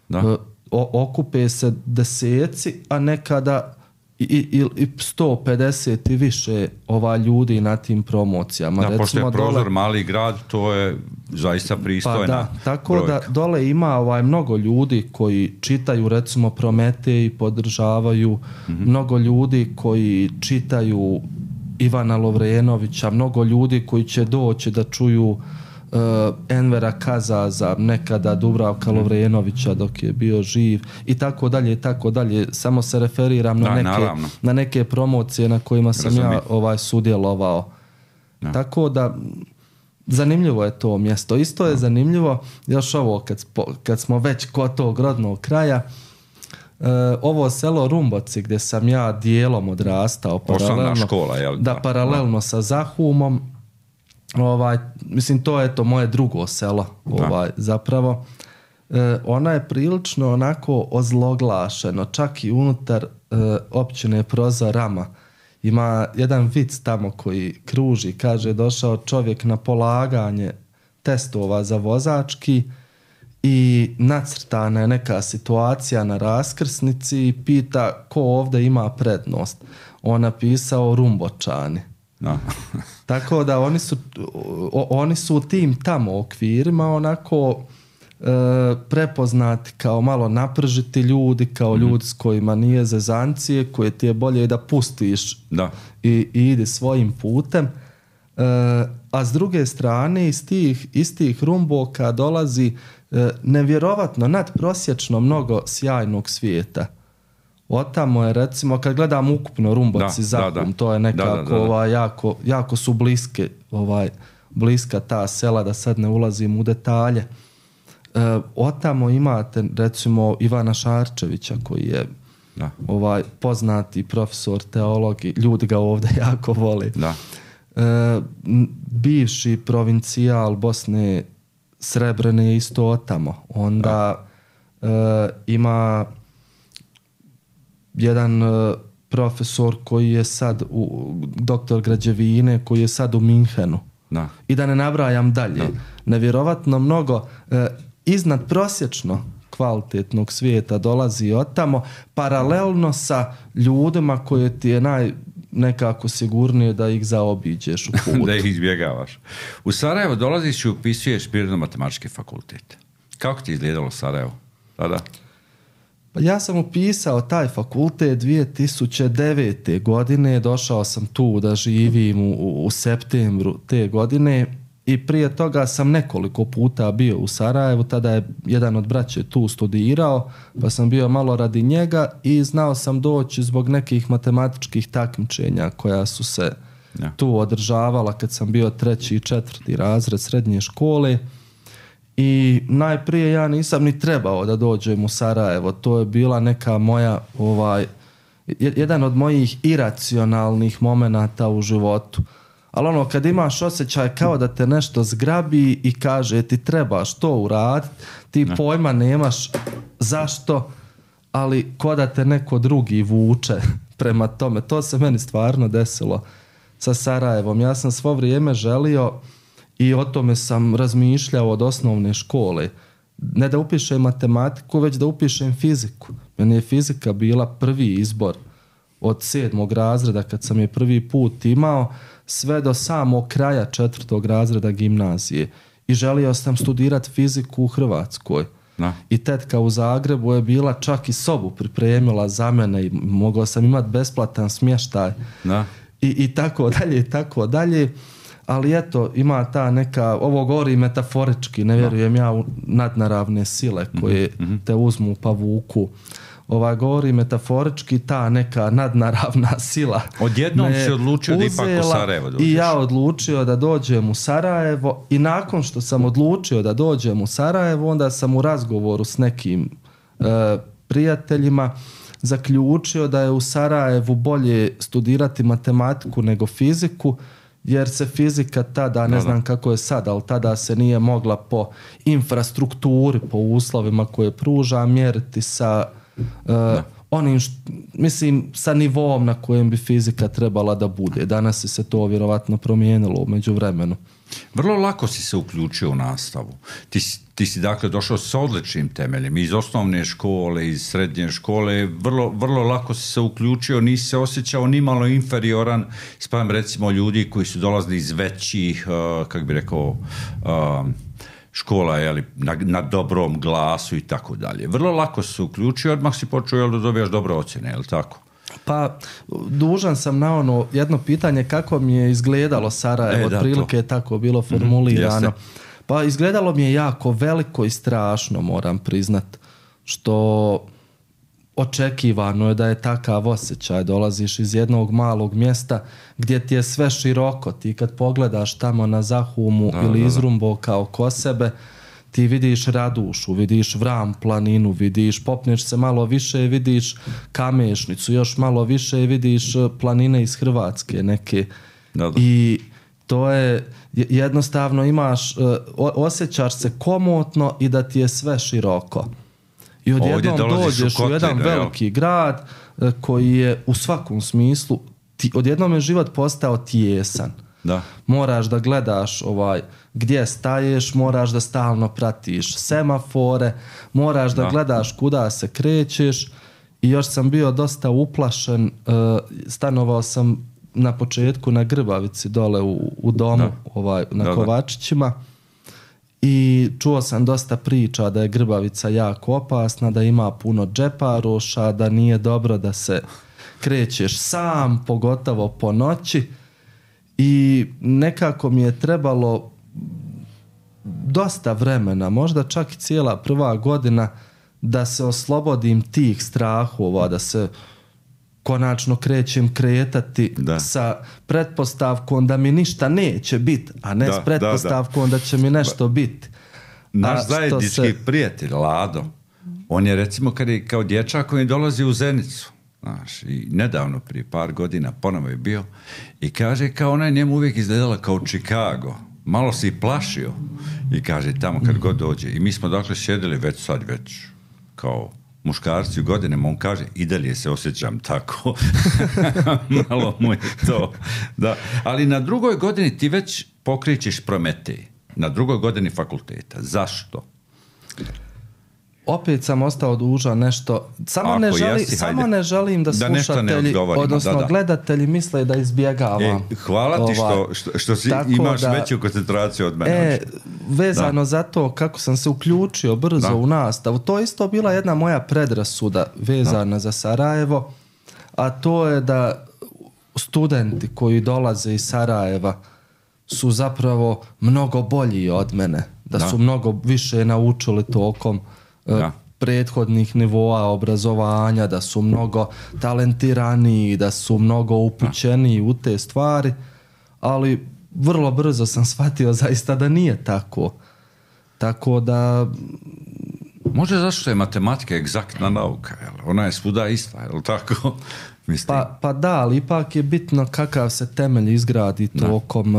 da. O, okupe se deseci, a nekada i, i, i sto pedeset i više ova ljudi na tim promocijama. Da, recimo, pošto je Prozor dole, mali grad, to je zaista pristojna pa da, tako brojka. Da dole ima ovaj mnogo ljudi koji čitaju recimo Prometej i podržavaju, mm-hmm. mnogo ljudi koji čitaju Ivana Lovrenovića, mnogo ljudi koji će doći da čuju Uh, Envera Kazaza, nekada Dubravka Lovrenovića dok je bio živ i tako dalje i tako dalje. Samo se referiram na, da, neke, na neke promocije na kojima sam Razumim. ja ovaj, sudjelovao. Da. Tako da zanimljivo je to mjesto. Isto je da. zanimljivo, još ovo kad, kad smo već kod tog rodnog kraja, uh, ovo selo Rumboci gdje sam ja dijelom odrastao paralelno, škola, jel? Da, paralelno da. sa Zahumom. Ovaj, mislim, to je to moje drugo selo, ovaj, zapravo. E, ona je prilično onako ozloglašeno, čak i unutar e, općine Prozor Rama. Ima jedan vic tamo koji kruži, kaže, došao čovjek na polaganje testova za vozački i nacrtana je neka situacija na raskrsnici i pita ko ovdje ima prednost. On napisao Rumbočani. No. Tako da oni su, o, oni su u tim tamo okvirima onako e, prepoznati kao malo napržiti ljudi, kao mm-hmm. ljudi s kojima nije zezancije, koje ti je bolje da pustiš da. I, i ide svojim putem. E, a s druge strane iz tih, iz tih Rumboka dolazi e, nevjerovatno nadprosječno mnogo sjajnog svijeta. Otamo je recimo, kad gledam ukupno Rumboc i Zahum, da, da. to je nekako da, da, da. Ovaj, jako, jako su bliske, ovaj, bliska ta sela, da sad ne ulazim u detalje. E, otamo imate recimo Ivana Šarčevića koji je da. ovaj, poznati profesor teologije, ljudi ga ovdje jako vole. Da. E, bivši provincijal Bosne Srebrene je isto otamo. Onda e, ima jedan e, profesor koji je sad u, doktor građevine koji je sad u Minhenu. Da. I da ne nabrajam dalje. Da. Nevjerovatno mnogo e, iznad prosječno kvalitetnog svijeta dolazi od tamo, paralelno sa ljudima koje ti je naj nekako sigurnije da ih zaobiđeš u putu. Da ih izbjegavaš. U Sarajevo dolaziš i upisuješ Prirodno-matematički fakultet. Kako ti je izgledalo Sarajevo tada? Pa ja sam upisao taj fakultet dvije tisuće devete. godine, došao sam tu da živim u, u septembru te godine i prije toga sam nekoliko puta bio u Sarajevu, tada je jedan od braće tu studirao, pa sam bio malo radi njega i znao sam doći zbog nekih matematičkih takmičenja koja su se ja. tu održavala kad sam bio treći i četvrti razred srednje škole. I najprije ja nisam ni trebao da dođem u Sarajevo, to je bila neka moja, ovaj, jedan od mojih iracionalnih momenata u životu. Ali ono, kad imaš osjećaj kao da te nešto zgrabi i kaže ti trebaš to uraditi, ti ne. pojma nemaš zašto, ali ko da te neko drugi vuče prema tome. To se meni stvarno desilo sa Sarajevom. Ja sam svo vrijeme želio i o tome sam razmišljao od osnovne škole. Ne da upišem matematiku, već da upišem fiziku. Meni je fizika bila prvi izbor od sedmog razreda kad sam je prvi put imao, sve do samog kraja četvrtog razreda gimnazije. I želio sam studirati fiziku u Hrvatskoj. No. I tetka u Zagrebu je bila čak i sobu pripremila za mene i mogao sam imati besplatan smještaj. No. I, i tako dalje, i tako dalje. Ali eto, ima ta neka, ovo govori metaforički, ne vjerujem no. ja u nadnaravne sile koje mm-hmm. te uzmu pa vuku. Ova govori metaforički, ta neka nadnaravna sila. Odjednom si odlučio da ipak u Sarajevo dođeš. I ja odlučio da dođem u Sarajevo i nakon što sam odlučio da dođem u Sarajevo, onda sam u razgovoru s nekim e, prijateljima zaključio da je u Sarajevu bolje studirati matematiku nego fiziku, jer se fizika tada, ne da, znam da. kako je sad, ali tada se nije mogla po infrastrukturi, po uslovima koje pruža mjeriti sa uh, onim, št, mislim, sa nivom na kojem bi fizika trebala da bude. Danas se to vjerovatno promijenilo u međuvremenu. Vrlo lako si se uključio u nastavu. Ti, ti si dakle došao s odličnim temeljem iz osnovne škole, iz srednje škole, vrlo, vrlo lako si se uključio, nisi se osjećao ni malo inferioran spram recimo ljudi koji su dolazili iz većih, uh, kako bi rekao, uh, škola jeli, na, na dobrom glasu i tako dalje. Vrlo lako si se uključio, odmah si počeo jel, da dobijaš dobre ocjene, je li tako? Pa, dužan sam na ono jedno pitanje kako mi je izgledalo Sarajevo, e, otprilike je tako bilo formulirano. Mm, pa izgledalo mi je jako veliko i strašno, moram priznat, što očekivano je da je takav osjećaj. Dolaziš iz jednog malog mjesta gdje ti je sve široko. Ti kad pogledaš tamo na Zahumu da, ili da, da. Izrumboka oko sebe, ti vidiš Radušu, vidiš Vram planinu, vidiš, popneš se malo više i vidiš Kamešnicu, još malo više i vidiš planine iz Hrvatske neke. Da, da. I to je, jednostavno imaš, osjećaš se komotno i da ti je sve široko. I odjednom dođeš u, u jedan da, veliki jo. grad koji je u svakom smislu, ti, odjednom je život postao tijesan. Da. Moraš da gledaš ovaj gdje staješ, moraš da stalno pratiš semafore, moraš da, da gledaš kuda se krećeš i još sam bio dosta uplašen, stanovao sam na početku na Grbavici dole u, u domu da. ovaj, na da, Kovačićima i čuo sam dosta priča da je Grbavica jako opasna, da ima puno džeparoša, da nije dobro da se krećeš sam, pogotovo po noći. I nekako mi je trebalo dosta vremena, možda čak i cijela prva godina, da se oslobodim tih strahova, da se konačno krećem kretati da. sa pretpostavkom da mi ništa neće biti, a ne da, s pretpostavkom da, da. da će mi nešto biti. Naš zajednički se... prijatelj Lado, on je recimo kad je kao dječak koji dolazi u Zenicu, znaš, i nedavno prije par godina ponovo je bio i kaže kao ona je njemu uvijek izgledala kao Chicago, malo se i plašio i kaže tamo kad god dođe i mi smo dakle sjedili već sad već kao muškarci u godinama, on kaže i dalje se osjećam tako. Malo mu je to. Da. Ali na drugoj godini ti već pokrećeš Prometej. Na drugoj godini fakulteta. Zašto? Opet sam ostao dužan nešto. Samo, ne, želi, jesi, samo ne želim da, da slušatelji, odnosno da, da. gledatelji misle da izbjegavam. E, hvala ti što, što, što si imaš da, veću koncentraciju od mene. E, vezano da. za to kako sam se uključio brzo da. u nastavu, to je isto bila jedna moja predrasuda vezana da. za Sarajevo, a to je da studenti koji dolaze iz Sarajeva su zapravo mnogo bolji od mene, da, da. su mnogo više naučili tokom Da. prethodnih nivoa obrazovanja, da su mnogo talentiraniji, da su mnogo upućeniji u te stvari, ali vrlo brzo sam shvatio zaista da nije tako. Tako da... Može zašto je matematika egzaktna nauka, jel? Ona je svuda ista, jel tako? Pa, pa da, ali ipak je bitno kakav se temelj izgradi tokom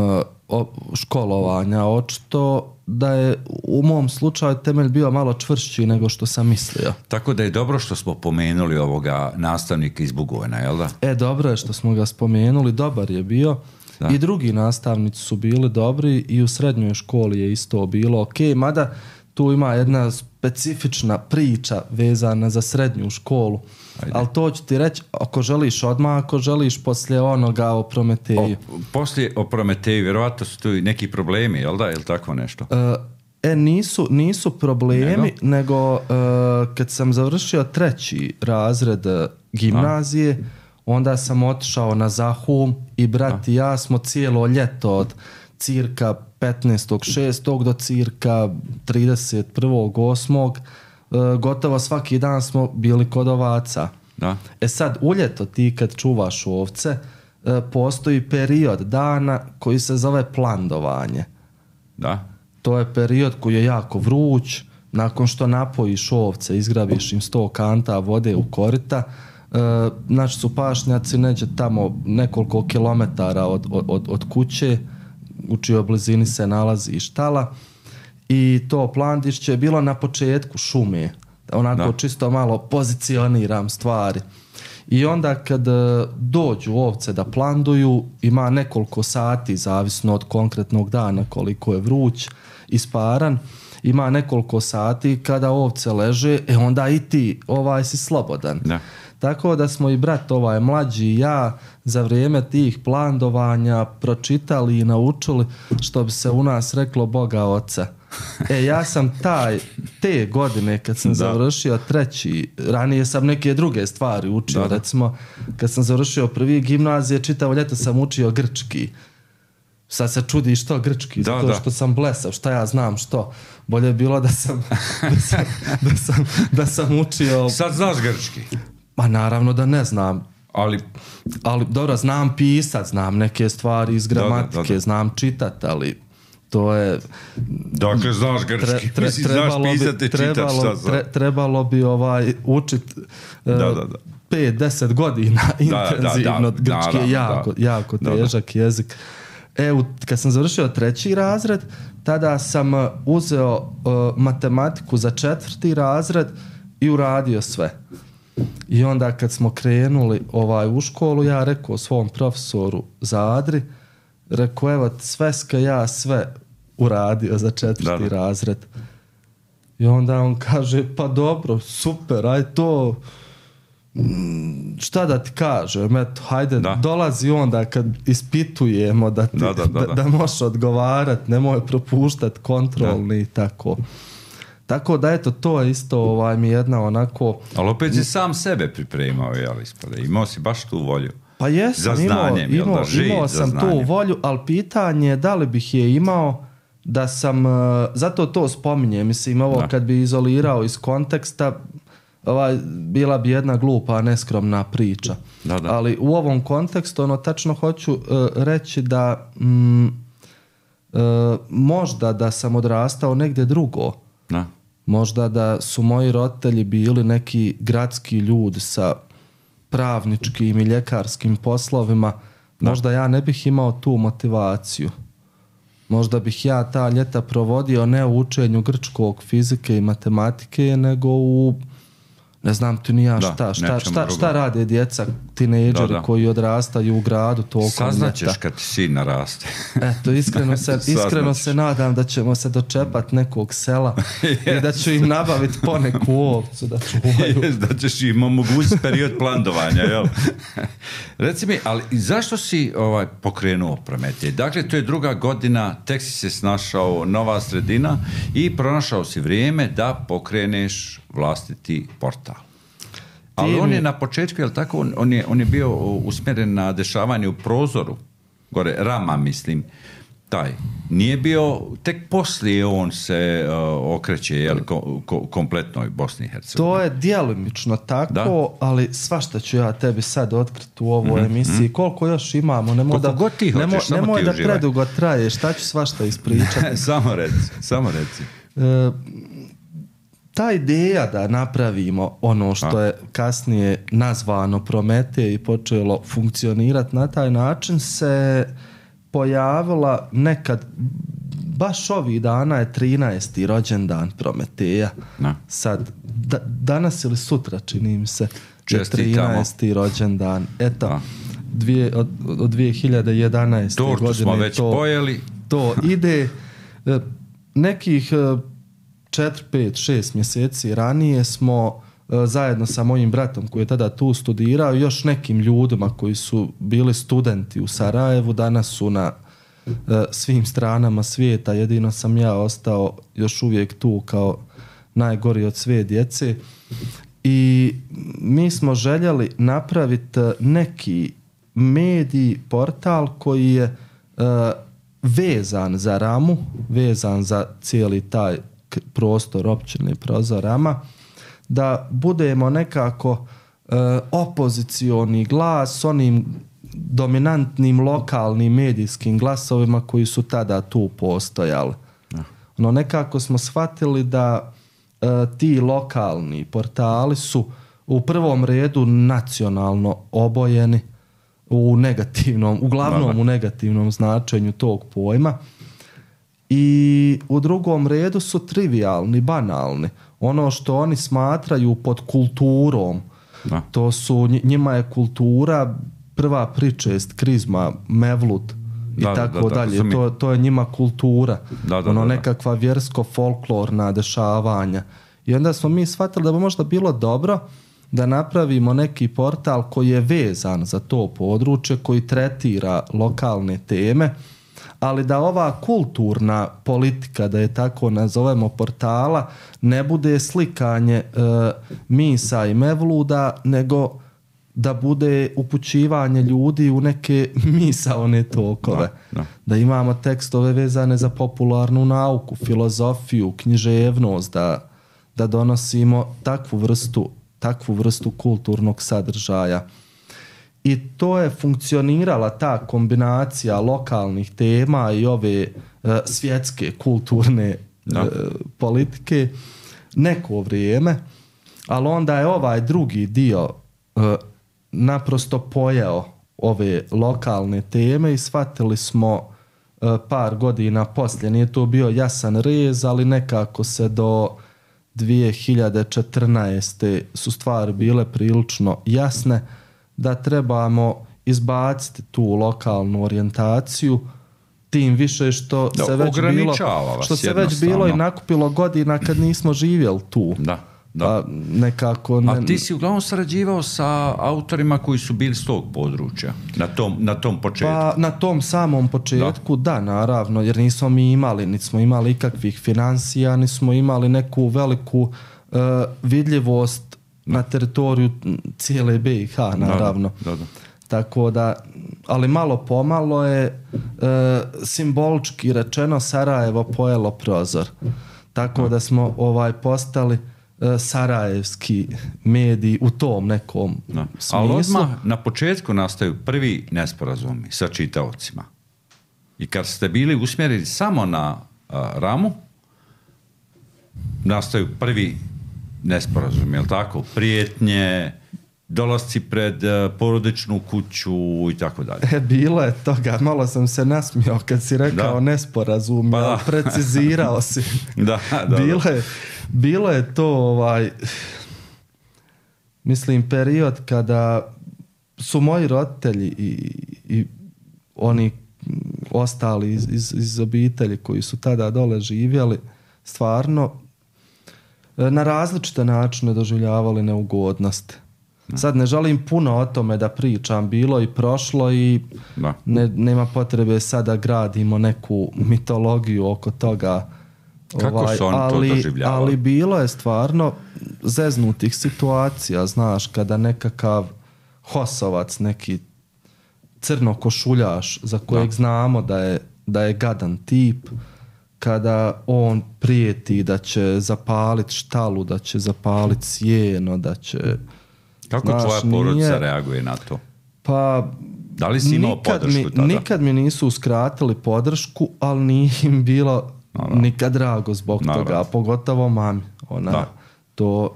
o, školovanja. Očito da je u mom slučaju temelj bio malo čvršći nego što sam mislio. Tako da je dobro što smo pomenuli ovoga nastavnika iz Bugojna, jel da? E, dobro je što smo ga spomenuli, dobar je bio. Da. I drugi nastavnici su bili dobri i u srednjoj školi je isto bilo ok, mada tu ima jedna specifična priča vezana za srednju školu. Ajde. Ali to ću ti reći ako želiš odmah, ako želiš poslije onoga o Prometeju. O, poslije o Prometeju, vjerovatno su tu neki problemi, jel da, jel tako nešto? E, e nisu, nisu problemi, nego, nego e, kad sam završio treći razred gimnazije, A? onda sam otišao na Zahum i brat i ja smo cijelo ljeto od cirka petnaestog šestog do cirka trideset prvog osmog gotovo svaki dan smo bili kod ovaca. Da. E sad, u ljeto ti kad čuvaš ovce, postoji period dana koji se zove plandovanje. Da. To je period koji je jako vruć, nakon što napojiš ovce, izgrabiš im sto kanta vode u korita, znači su pašnjaci neđe tamo nekoliko kilometara od, od, od kuće, u čijoj blizini se nalazi štala, i to plandišće je bilo na početku šume, onako da. čisto malo pozicioniram stvari. I onda kad dođu ovce da planduju, ima nekoliko sati, zavisno od konkretnog dana koliko je vruć, isparan, ima nekoliko sati kada ovce leže, e onda i ti ovaj si slobodan. Da. Tako da smo i brat ovaj mlađi i ja za vrijeme tih plandovanja pročitali i naučili, što bi se u nas reklo, Boga oca. E, ja sam taj, te godine kad sam da. završio treći, ranije sam neke druge stvari učio, da. recimo kad sam završio prvi gimnazije, čitavo ljeto sam učio grčki. Sad se čudi što grčki, da, zato što da. sam blesav, šta ja znam što. Bolje je bilo da sam, da sam, da sam, da sam učio... Sad znaš grčki? Ma naravno da ne znam. Ali... Ali dobro, znam pisat, znam neke stvari iz gramatike, da, da, da. znam čitat, ali to je... Dakle, znaš grčki, tre, tre, mislim, znaš pisat i čitat, šta znam. Tre, trebalo bi ovaj, učit da, da, da. pet do deset godina intenzivno, da, da, da, grčki je jako, da. jako težak da, da. jezik. E, kad sam završio treći razred, tada sam uzeo uh, matematiku za četvrti razred i uradio sve. I onda kad smo krenuli ovaj, u školu, ja rekao svom profesoru Zadri, rekao, evo, sveska ja sve uradio za četvrti da, da. razred. I onda on kaže, pa dobro, super, aj to, šta da ti kažem, eto, hajde, da. dolazi onda kad ispitujemo da, ti, da, da, da, da. da, da možeš odgovarat, nemoj propuštat kontrolni i tako. Tako da, eto, to je isto ovaj, mi jedna onako... Ali opet si sam sebe pripremao, jel, ispade, imao si baš tu volju. Pa jesam, imao, imao, imao sam tu volju, ali pitanje je da li bih je imao da sam, zato to spominjem, mislim, ovo da. kad bi izolirao iz konteksta, ovaj, bila bi jedna glupa, neskromna priča. Da, da. Ali u ovom kontekstu, ono, tačno hoću uh, reći da mm, uh, možda da sam odrastao negdje drugo. Da. Možda da su moji roditelji bili neki gradski ljudi sa pravničkim i ljekarskim poslovima, da. Možda ja ne bih imao tu motivaciju. Možda bih ja ta ljeta provodio ne u učenju grčkog, fizike i matematike, nego u, ne znam ti ni ja šta, da, šta, šta, šta rade djeca, tinejdžeri koji odrastaju u gradu tokom ljeta. Saznaćeš kad ti sin naraste. Eto, iskreno se, iskreno se nadam da ćemo se dočepati nekog sela yes. i da ću im nabaviti poneku ovcu da čuvaju. Yes, da ćeš im omogućiti period plandovanja, jel? Reci mi, ali zašto si ovaj, pokrenuo Prometej? Dakle, to je druga godina, tek si se snašao, nova sredina i pronašao si vrijeme da pokreneš vlastiti portal. Ali on je na početku, jel tako, on, on, je, on je bio usmjeren na dešavanje u prozoru, gore, Rama mislim, taj. Nije bio, tek poslije on se uh, okreće, jel, ko, ko, kompletnoj Bosni i Hercegovini. To je djelomično tako, da? Ali svašta ću ja tebi sad otkriti u ovoj mm-hmm. emisiji. Koliko još imamo, nemoj da, god ti hoćeš, nemoj, samo nemoj ti da uživaj. Predugo traje, šta ću svašta ispričati. samo reci, samo reci. E, ta ideja da napravimo ono što A. je kasnije nazvano Prometej i počelo funkcionirati na taj način se pojavila nekad, baš ovih dana je trinaesti rođendan Prometeja. Na. Sad, da, danas ili sutra čini mi se je trinaesti rođendan. Eto, dvije, od, od dvije hiljade jedanaeste Tortu godine smo već to, pojeli. To ide nekih četiri, pet, šest mjeseci ranije smo zajedno sa mojim bratom koji je tada tu studirao i još nekim ljudima koji su bili studenti u Sarajevu, danas su na uh, svim stranama svijeta, jedino sam ja ostao još uvijek tu kao najgori od sve djece i mi smo željeli napraviti neki medij, portal koji je uh, vezan za Ramu, vezan za cijeli taj prostor općine Prozorama, da budemo nekako e, opozicioni glas s onim dominantnim lokalnim medijskim glasovima koji su tada tu postojali. Ja. No, nekako smo shvatili da e, ti lokalni portali su u prvom redu nacionalno obojeni u negativnom, uglavnom Mala. u negativnom značenju tog pojma. I u drugom redu su trivialni, banalni. Ono što oni smatraju pod kulturom, da. To su, njima je kultura prva pričest, krizma, mevlut i da, tako da, da, dalje. To, to je njima kultura. Da, da, ono da, da. Nekakva vjersko-folklorna dešavanja. I onda smo mi shvatili da bi možda bilo dobro da napravimo neki portal koji je vezan za to područje, koji tretira lokalne teme, ali da ova kulturna politika, da je tako nazovemo, portala, ne bude slikanje e, misa i mevluda, nego da bude upućivanje ljudi u neke misaone tokove. Da, da. Da imamo tekstove vezane za popularnu nauku, filozofiju, književnost, da, da donosimo takvu vrstu, takvu vrstu kulturnog sadržaja. I to je funkcionirala ta kombinacija lokalnih tema i ove uh, svjetske kulturne uh, politike neko vrijeme, ali onda je ovaj drugi dio uh, naprosto pojeo ove lokalne teme i shvatili smo uh, par godina poslije, nije to bio jasan rez, ali nekako se do dvije hiljade četrnaeste su stvari bile prilično jasne, da trebamo izbaciti tu lokalnu orijentaciju, tim više što da, se već bilo, što se već bilo i nakupilo godina kad nismo živjeli tu. Da, da. Pa nekako ne... A ti si uglavnom sarađivao sa autorima koji su bili s tog područja, na tom, na tom početku? Pa na tom samom početku, da, da naravno, jer nismo mi imali, niti smo imali ikakvih financija, nismo imali neku veliku uh, vidljivost da. Na teritoriju cijele B i H, naravno. Da, da, da. Tako da, ali malo pomalo je e, simbolički rečeno Sarajevo pojelo prozor. Tako da, da smo ovaj postali e, sarajevski mediji u tom nekom da. smislu. Ali odmah na početku nastaju prvi nesporazumi sa čitaocima. I kad ste bili usmjereni samo na a, Ramu, nastaju prvi nesporazumi, jel tako? Prijetnje, dolasci pred uh, porodičnu kuću i tako dalje. E, bilo je toga, malo sam se nasmijao kad si rekao da. Nesporazum, pa ali precizirao si. da, da, bilo, da. Je, bilo je to, ovaj, mislim, period kada su moji roditelji i, i oni ostali iz, iz, iz obitelji koji su tada dole živjeli, stvarno na različite načine doživljavali neugodnosti. Sad ne želim puno o tome da pričam, bilo i prošlo i ne, nema potrebe sada gradimo neku mitologiju oko toga. Kako ovaj, su oni ali, to doživljavali? Ali bilo je stvarno zeznutih situacija, znaš, kada nekakav hosovac, neki crnokošuljaš za kojeg da. znamo da je, da je gadan tip, kada on prijeti da će zapaliti štalu, da će zapaliti sjeno, da će... Kako znaš, tvoja porodica nije... reaguje na to? Pa... Da li si imao podršku mi, tada? Nikad mi nisu uskratili podršku, ali nije im bilo no, no. nikad drago zbog no, toga, no. pogotovo mami. Ona no. to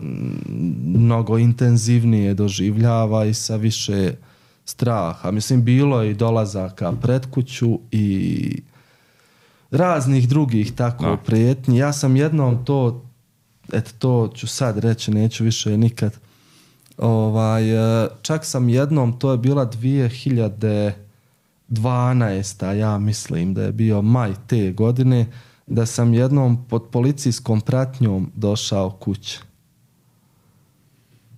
mnogo intenzivnije doživljava i sa više straha. Mislim, bilo je i dolazaka pred kuću i raznih drugih tako no. prijetnji. Ja sam jednom to, eto to ću sad reći, neću više nikad. Ovaj, čak sam jednom, to je bila dvije hiljade dvanaesta. ja mislim da je bio maj te godine, da sam jednom pod policijskom pratnjom došao kući.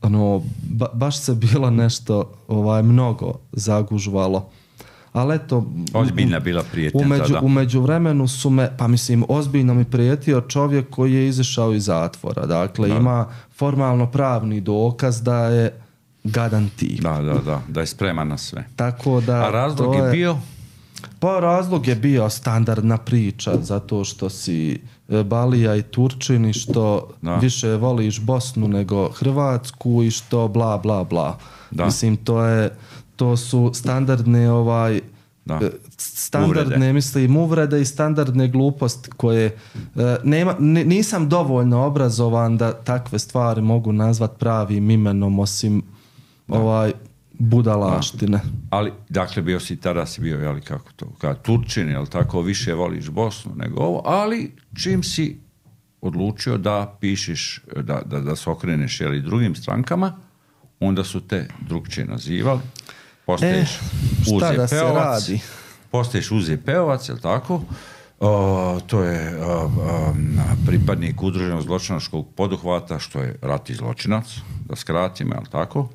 Ono, ba, baš se bilo nešto ovaj, mnogo zagužvalo. Ali eto... Ozbiljna bila prijetnja umeđu, tada. U međuvremenu su me, pa mislim, ozbiljno mi prijetio čovjek koji je izašao iz zatvora. Dakle, da. ima formalno pravni dokaz da je gadan tip. Da, da, da, da je spreman na sve. Tako da... A razlog je, je bio? Pa razlog je bio standardna priča, zato što si Balija i Turčin i što da. više voliš Bosnu nego Hrvatsku i što bla, bla, bla. Da. Mislim, to je... To su standardne ovaj da. standardne uvrede. mislim uvrede i standardne gluposti koje e, nema, nisam dovoljno obrazovan da takve stvari mogu nazvat pravim imenom osim da. ovaj budalaštine. Da. Ali dakle bio si tada si bio jeli kako to kao Turčin, jel tako, više voliš Bosnu nego ovo, ali čim si odlučio da pišeš da da da se okreneš jeli drugim strankama, onda su te drugčije nazivali. Postaješ e, Uze da Peovac, se radi? Postaješ Uze Peovac, jel tako? Uh, to je uh, uh, pripadnik udruženog zločinačkog poduhvata, što je ratni zločinac, da skratimo, jel tako?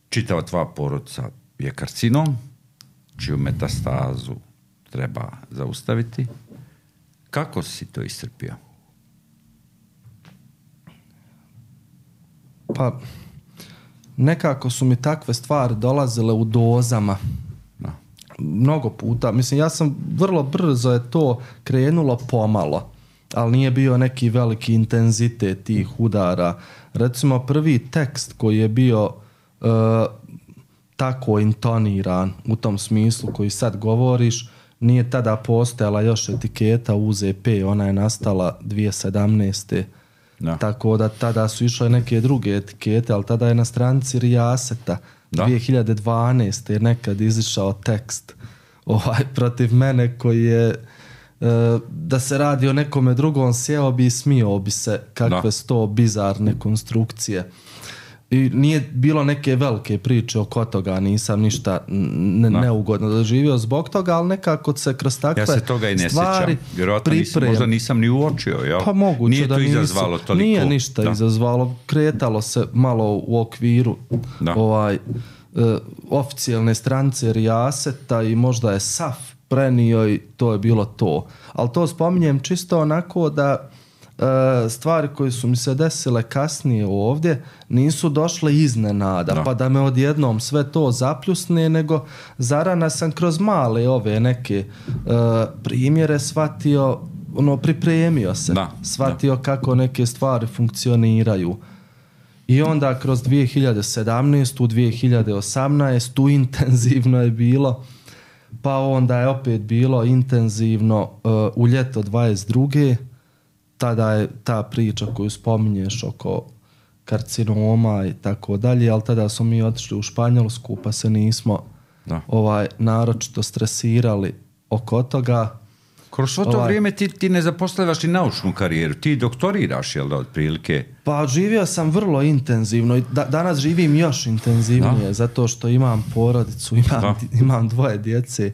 Čitava tvoja porodica je karcinom, čiju metastazu treba zaustaviti. Kako si to iscrpio? Pa... Nekako su mi takve stvari dolazile u dozama. No. Mnogo puta. Mislim, ja sam vrlo brzo je to krenulo pomalo, ali nije bio neki veliki intenzitet tih udara. Recimo, prvi tekst koji je bio uh, tako intoniran u tom smislu koji sad govoriš, nije tada postojala još etiketa U Z P, ona je nastala dvije hiljade sedamnaeste. Da. Tako da tada su išle neke druge etikete, ali tada je na stranici Rijaseta da. dvije hiljade dvanaeste je nekad izišao tekst ovaj, protiv mene koji je e, da se radi o nekome drugom, sjeo bi i smio bi se kakve su to bizarne konstrukcije. I nije bilo neke velike priče oko toga, nisam ništa ne, neugodno doživio zbog toga, ali nekako se kroz takve stvari ja se toga i ne sjećam. Vjerojatno nisam, možda nisam ni uočio. Jel? Pa moguće nije da to nisu, izazvalo toliko. Nije ništa da. izazvalo, kretalo se malo u okviru da. ovaj uh, oficijalne stranice Rijaseta i možda je S A F prenio i to je bilo to. Ali to spominjem čisto onako da stvari koje su mi se desile kasnije ovdje nisu došle iznenada, no. pa da me odjednom sve to zapljusne, nego zarana sam kroz male ove neke uh, primjere shvatio ono, pripremio se, da, shvatio da. kako neke stvari funkcioniraju. I onda kroz dvije hiljade sedamnaestu. dvije hiljade osamnaestu. intenzivno je bilo, pa onda je opet bilo intenzivno uh, u ljeto dvadeset druge. Tada je ta priča koju spominješ oko karcinoma i tako dalje, ali tada smo mi otišli u Španjolsku pa se nismo da. ovaj naročito stresirali oko toga. Kroz svo to ovaj, vrijeme ti, ti ne zapostavljaš i naučnu karijeru, ti doktoriraš, jel da, otprilike? Pa živio sam vrlo intenzivno i da, danas živim još intenzivnije, da. Zato što imam porodicu, imam, imam dvoje djece,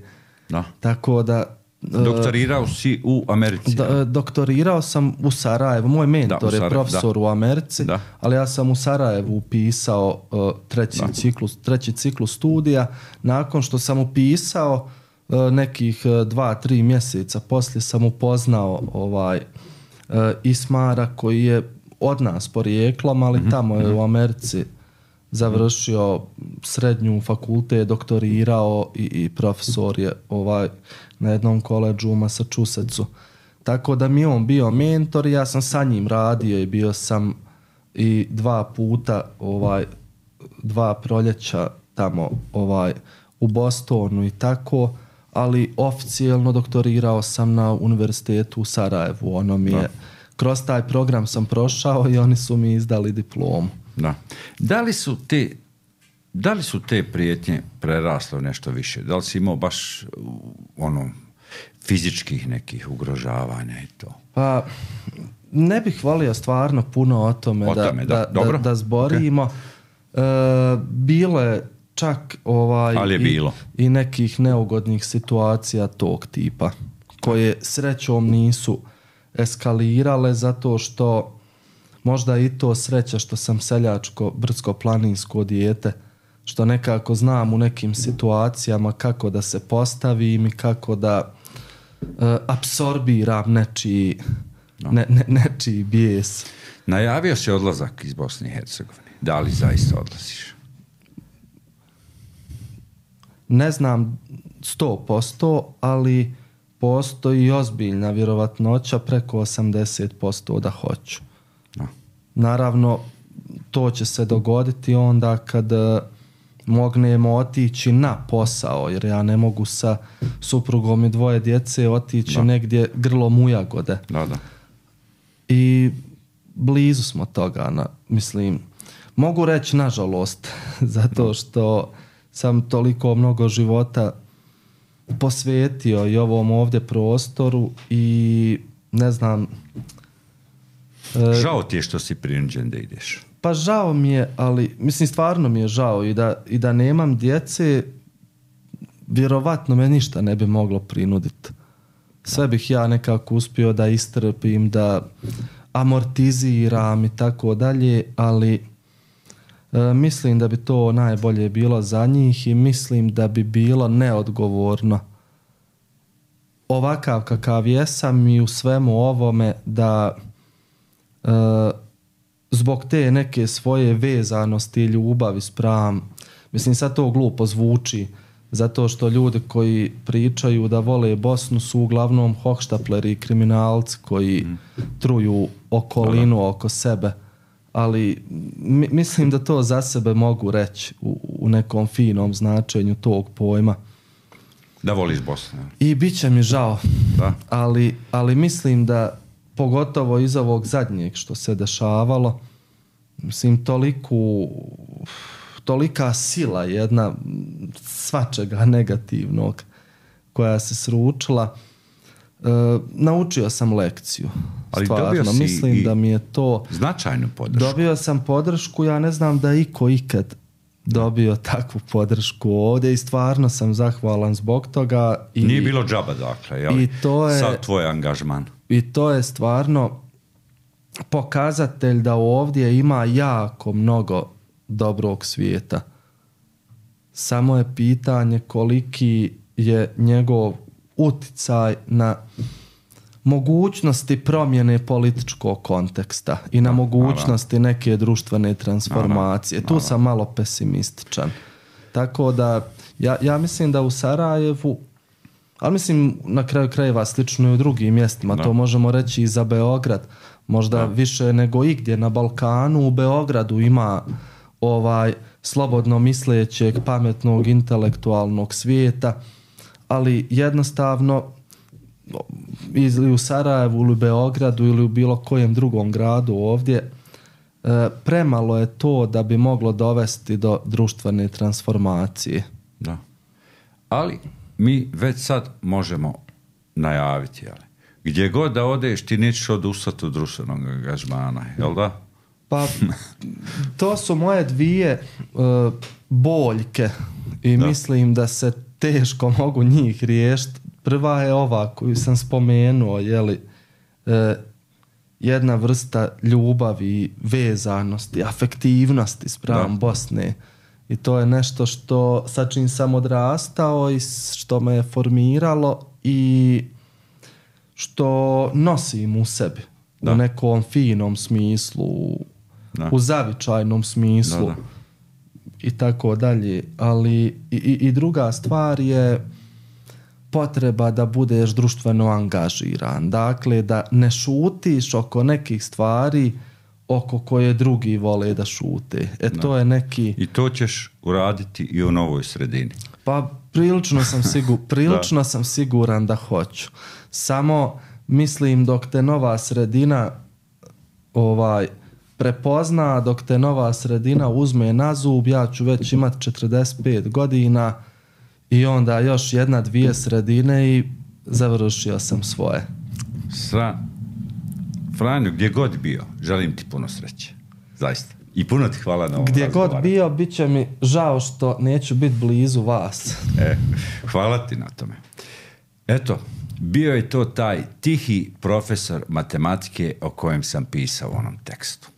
da. Tako da... Doktorirao si u Americi? Da, doktorirao sam u Sarajevu, moj mentor da, je profesor da. u Americi, da. Ali ja sam u Sarajevu upisao uh, treći, ciklus, treći ciklus studija, nakon što sam upisao nekih dva, tri mjeseca poslije sam upoznao ovaj uh, Ismara koji je od nas porijeklom, ali mm-hmm. tamo je u Americi završio srednju fakultet, doktorirao i, i profesor je ovaj na jednom koledžu u Massachusettsu. Tako da mi je on bio mentor, ja sam sa njim radio i bio sam i dva puta ovaj dva proljeća tamo ovaj u Bostonu i tako, ali oficijelno doktorirao sam na univerzitetu u Sarajevu. Ono mi je, kroz taj program sam prošao i oni su mi izdali diplomu. Da. Da li su te, da li su te prijetnje prerasle u nešto više? Da li si imao baš ono fizičkih nekih ugrožavanja i to? Pa ne bih volio stvarno puno o tome, o da, tome da, da, da, da zborimo. Okay. E, bilo je čak ovaj i, i nekih neugodnih situacija tog tipa koje srećom nisu eskalirale zato što možda i to sreća što sam seljačko brdsko-planinsko dijete, što nekako znam u nekim situacijama kako da se postavim i kako da uh, apsorbiram nečiji, no. ne, ne, nečiji bijes. Najavio si odlazak iz Bosne i Hercegovine. Da li zaista odlaziš? Ne znam sto posto, ali postoji ozbiljna vjerovatnoća preko osamdeset posto da hoću. No. Naravno, to će se dogoditi onda kad mognemo otići na posao, jer ja ne mogu sa suprugom i dvoje djece otići no. negdje grlom u jagode. Da, da. I blizu smo toga, na, mislim, mogu reći nažalost, zato što sam toliko mnogo života posvetio i ovom ovdje prostoru i ne znam... Žao ti je što si prinuđen da ideš. Pa žao mi je, ali mislim stvarno mi je žao i da, i da nemam djece, vjerovatno me ništa ne bi moglo prinuditi. Sve bih ja nekako uspio da istrpim, da amortiziram i tako dalje, ali e, mislim da bi to najbolje bilo za njih i mislim da bi bilo neodgovorno ovakav kakav jesam i u svemu ovome da e, zbog te neke svoje vezanosti i ljubavi spram, mislim sad to glupo zvuči, zato što ljudi koji pričaju da vole Bosnu su uglavnom hohštapleri i kriminalci koji mm. truju okolinu Hvala. oko sebe, ali mi, mislim da to za sebe mogu reći u, u nekom finom značenju tog pojma. Da voliš Bosnu. I bit će mi žao, da. Ali, ali mislim da pogotovo iz ovog zadnjeg što se dešavalo, mislim toliku tolika sila jedna svačega negativnog koja se sručila, e, naučio sam lekciju. Ali stvarno, dobio si mislim da mi je to značajnu podršku. Dobio sam podršku, ja ne znam da iko ikad dobio takvu podršku ovdje i stvarno sam zahvalan zbog toga. I, Nije bilo džaba dakle, jel? I to je, sad tvoj angažman. I to je stvarno pokazatelj da ovdje ima jako mnogo dobrog svijeta. Samo je pitanje koliki je njegov uticaj na mogućnosti promjene političkog konteksta i na mogućnosti neke društvene transformacije. Tu sam malo pesimističan. Tako da ja, ja mislim da u Sarajevu Ali mislim, na kraju krajeva slično i u drugim mjestima. Da. To možemo reći i za Beograd. Možda da. više nego igdje na Balkanu. U Beogradu ima ovaj slobodno mislećeg, pametnog, intelektualnog svijeta, ali jednostavno ili u Sarajevu ili u Beogradu ili u bilo kojem drugom gradu ovdje premalo je to da bi moglo dovesti do društvene transformacije. Da. Ali mi već sad možemo najaviti, ali gdje god da odeš ti nećeš odustati od društvenog angažmana, jel da? Pa to su moje dvije uh, boljke i da. mislim da se teško mogu njih riješiti. Prva je ova koju sam spomenuo, jeli, uh, jedna vrsta ljubavi, vezanosti, afektivnosti spram Bosne. I to je nešto što sa čim sam odrastao i što me je formiralo i što nosim u sebi. Da. U nekom finom smislu, da. u zavičajnom smislu da, da. i tako dalje. Ali i, i druga stvar je potreba da budeš društveno angažiran. Dakle, da ne šutiš oko nekih stvari oko koje drugi vole da šute. E da. to je neki... I to ćeš uraditi i u novoj sredini. Pa prilično sam, sigur, prilično sam siguran da hoću. Samo mislim dok te nova sredina ovaj prepozna, dok te nova sredina uzme na zub, ja ću već imati četrdeset pet godina i onda još jedna, dvije sredine i završio sam svoje. Sra... Franjo, gdje god bio, želim ti puno sreće. Zaista. I puno ti hvala na ovom Gdje razgovaru. god bio, bit će mi žao što neću biti blizu vas. E, hvala ti na tome. Eto, bio je to taj tihi profesor matematike o kojem sam pisao u onom tekstu.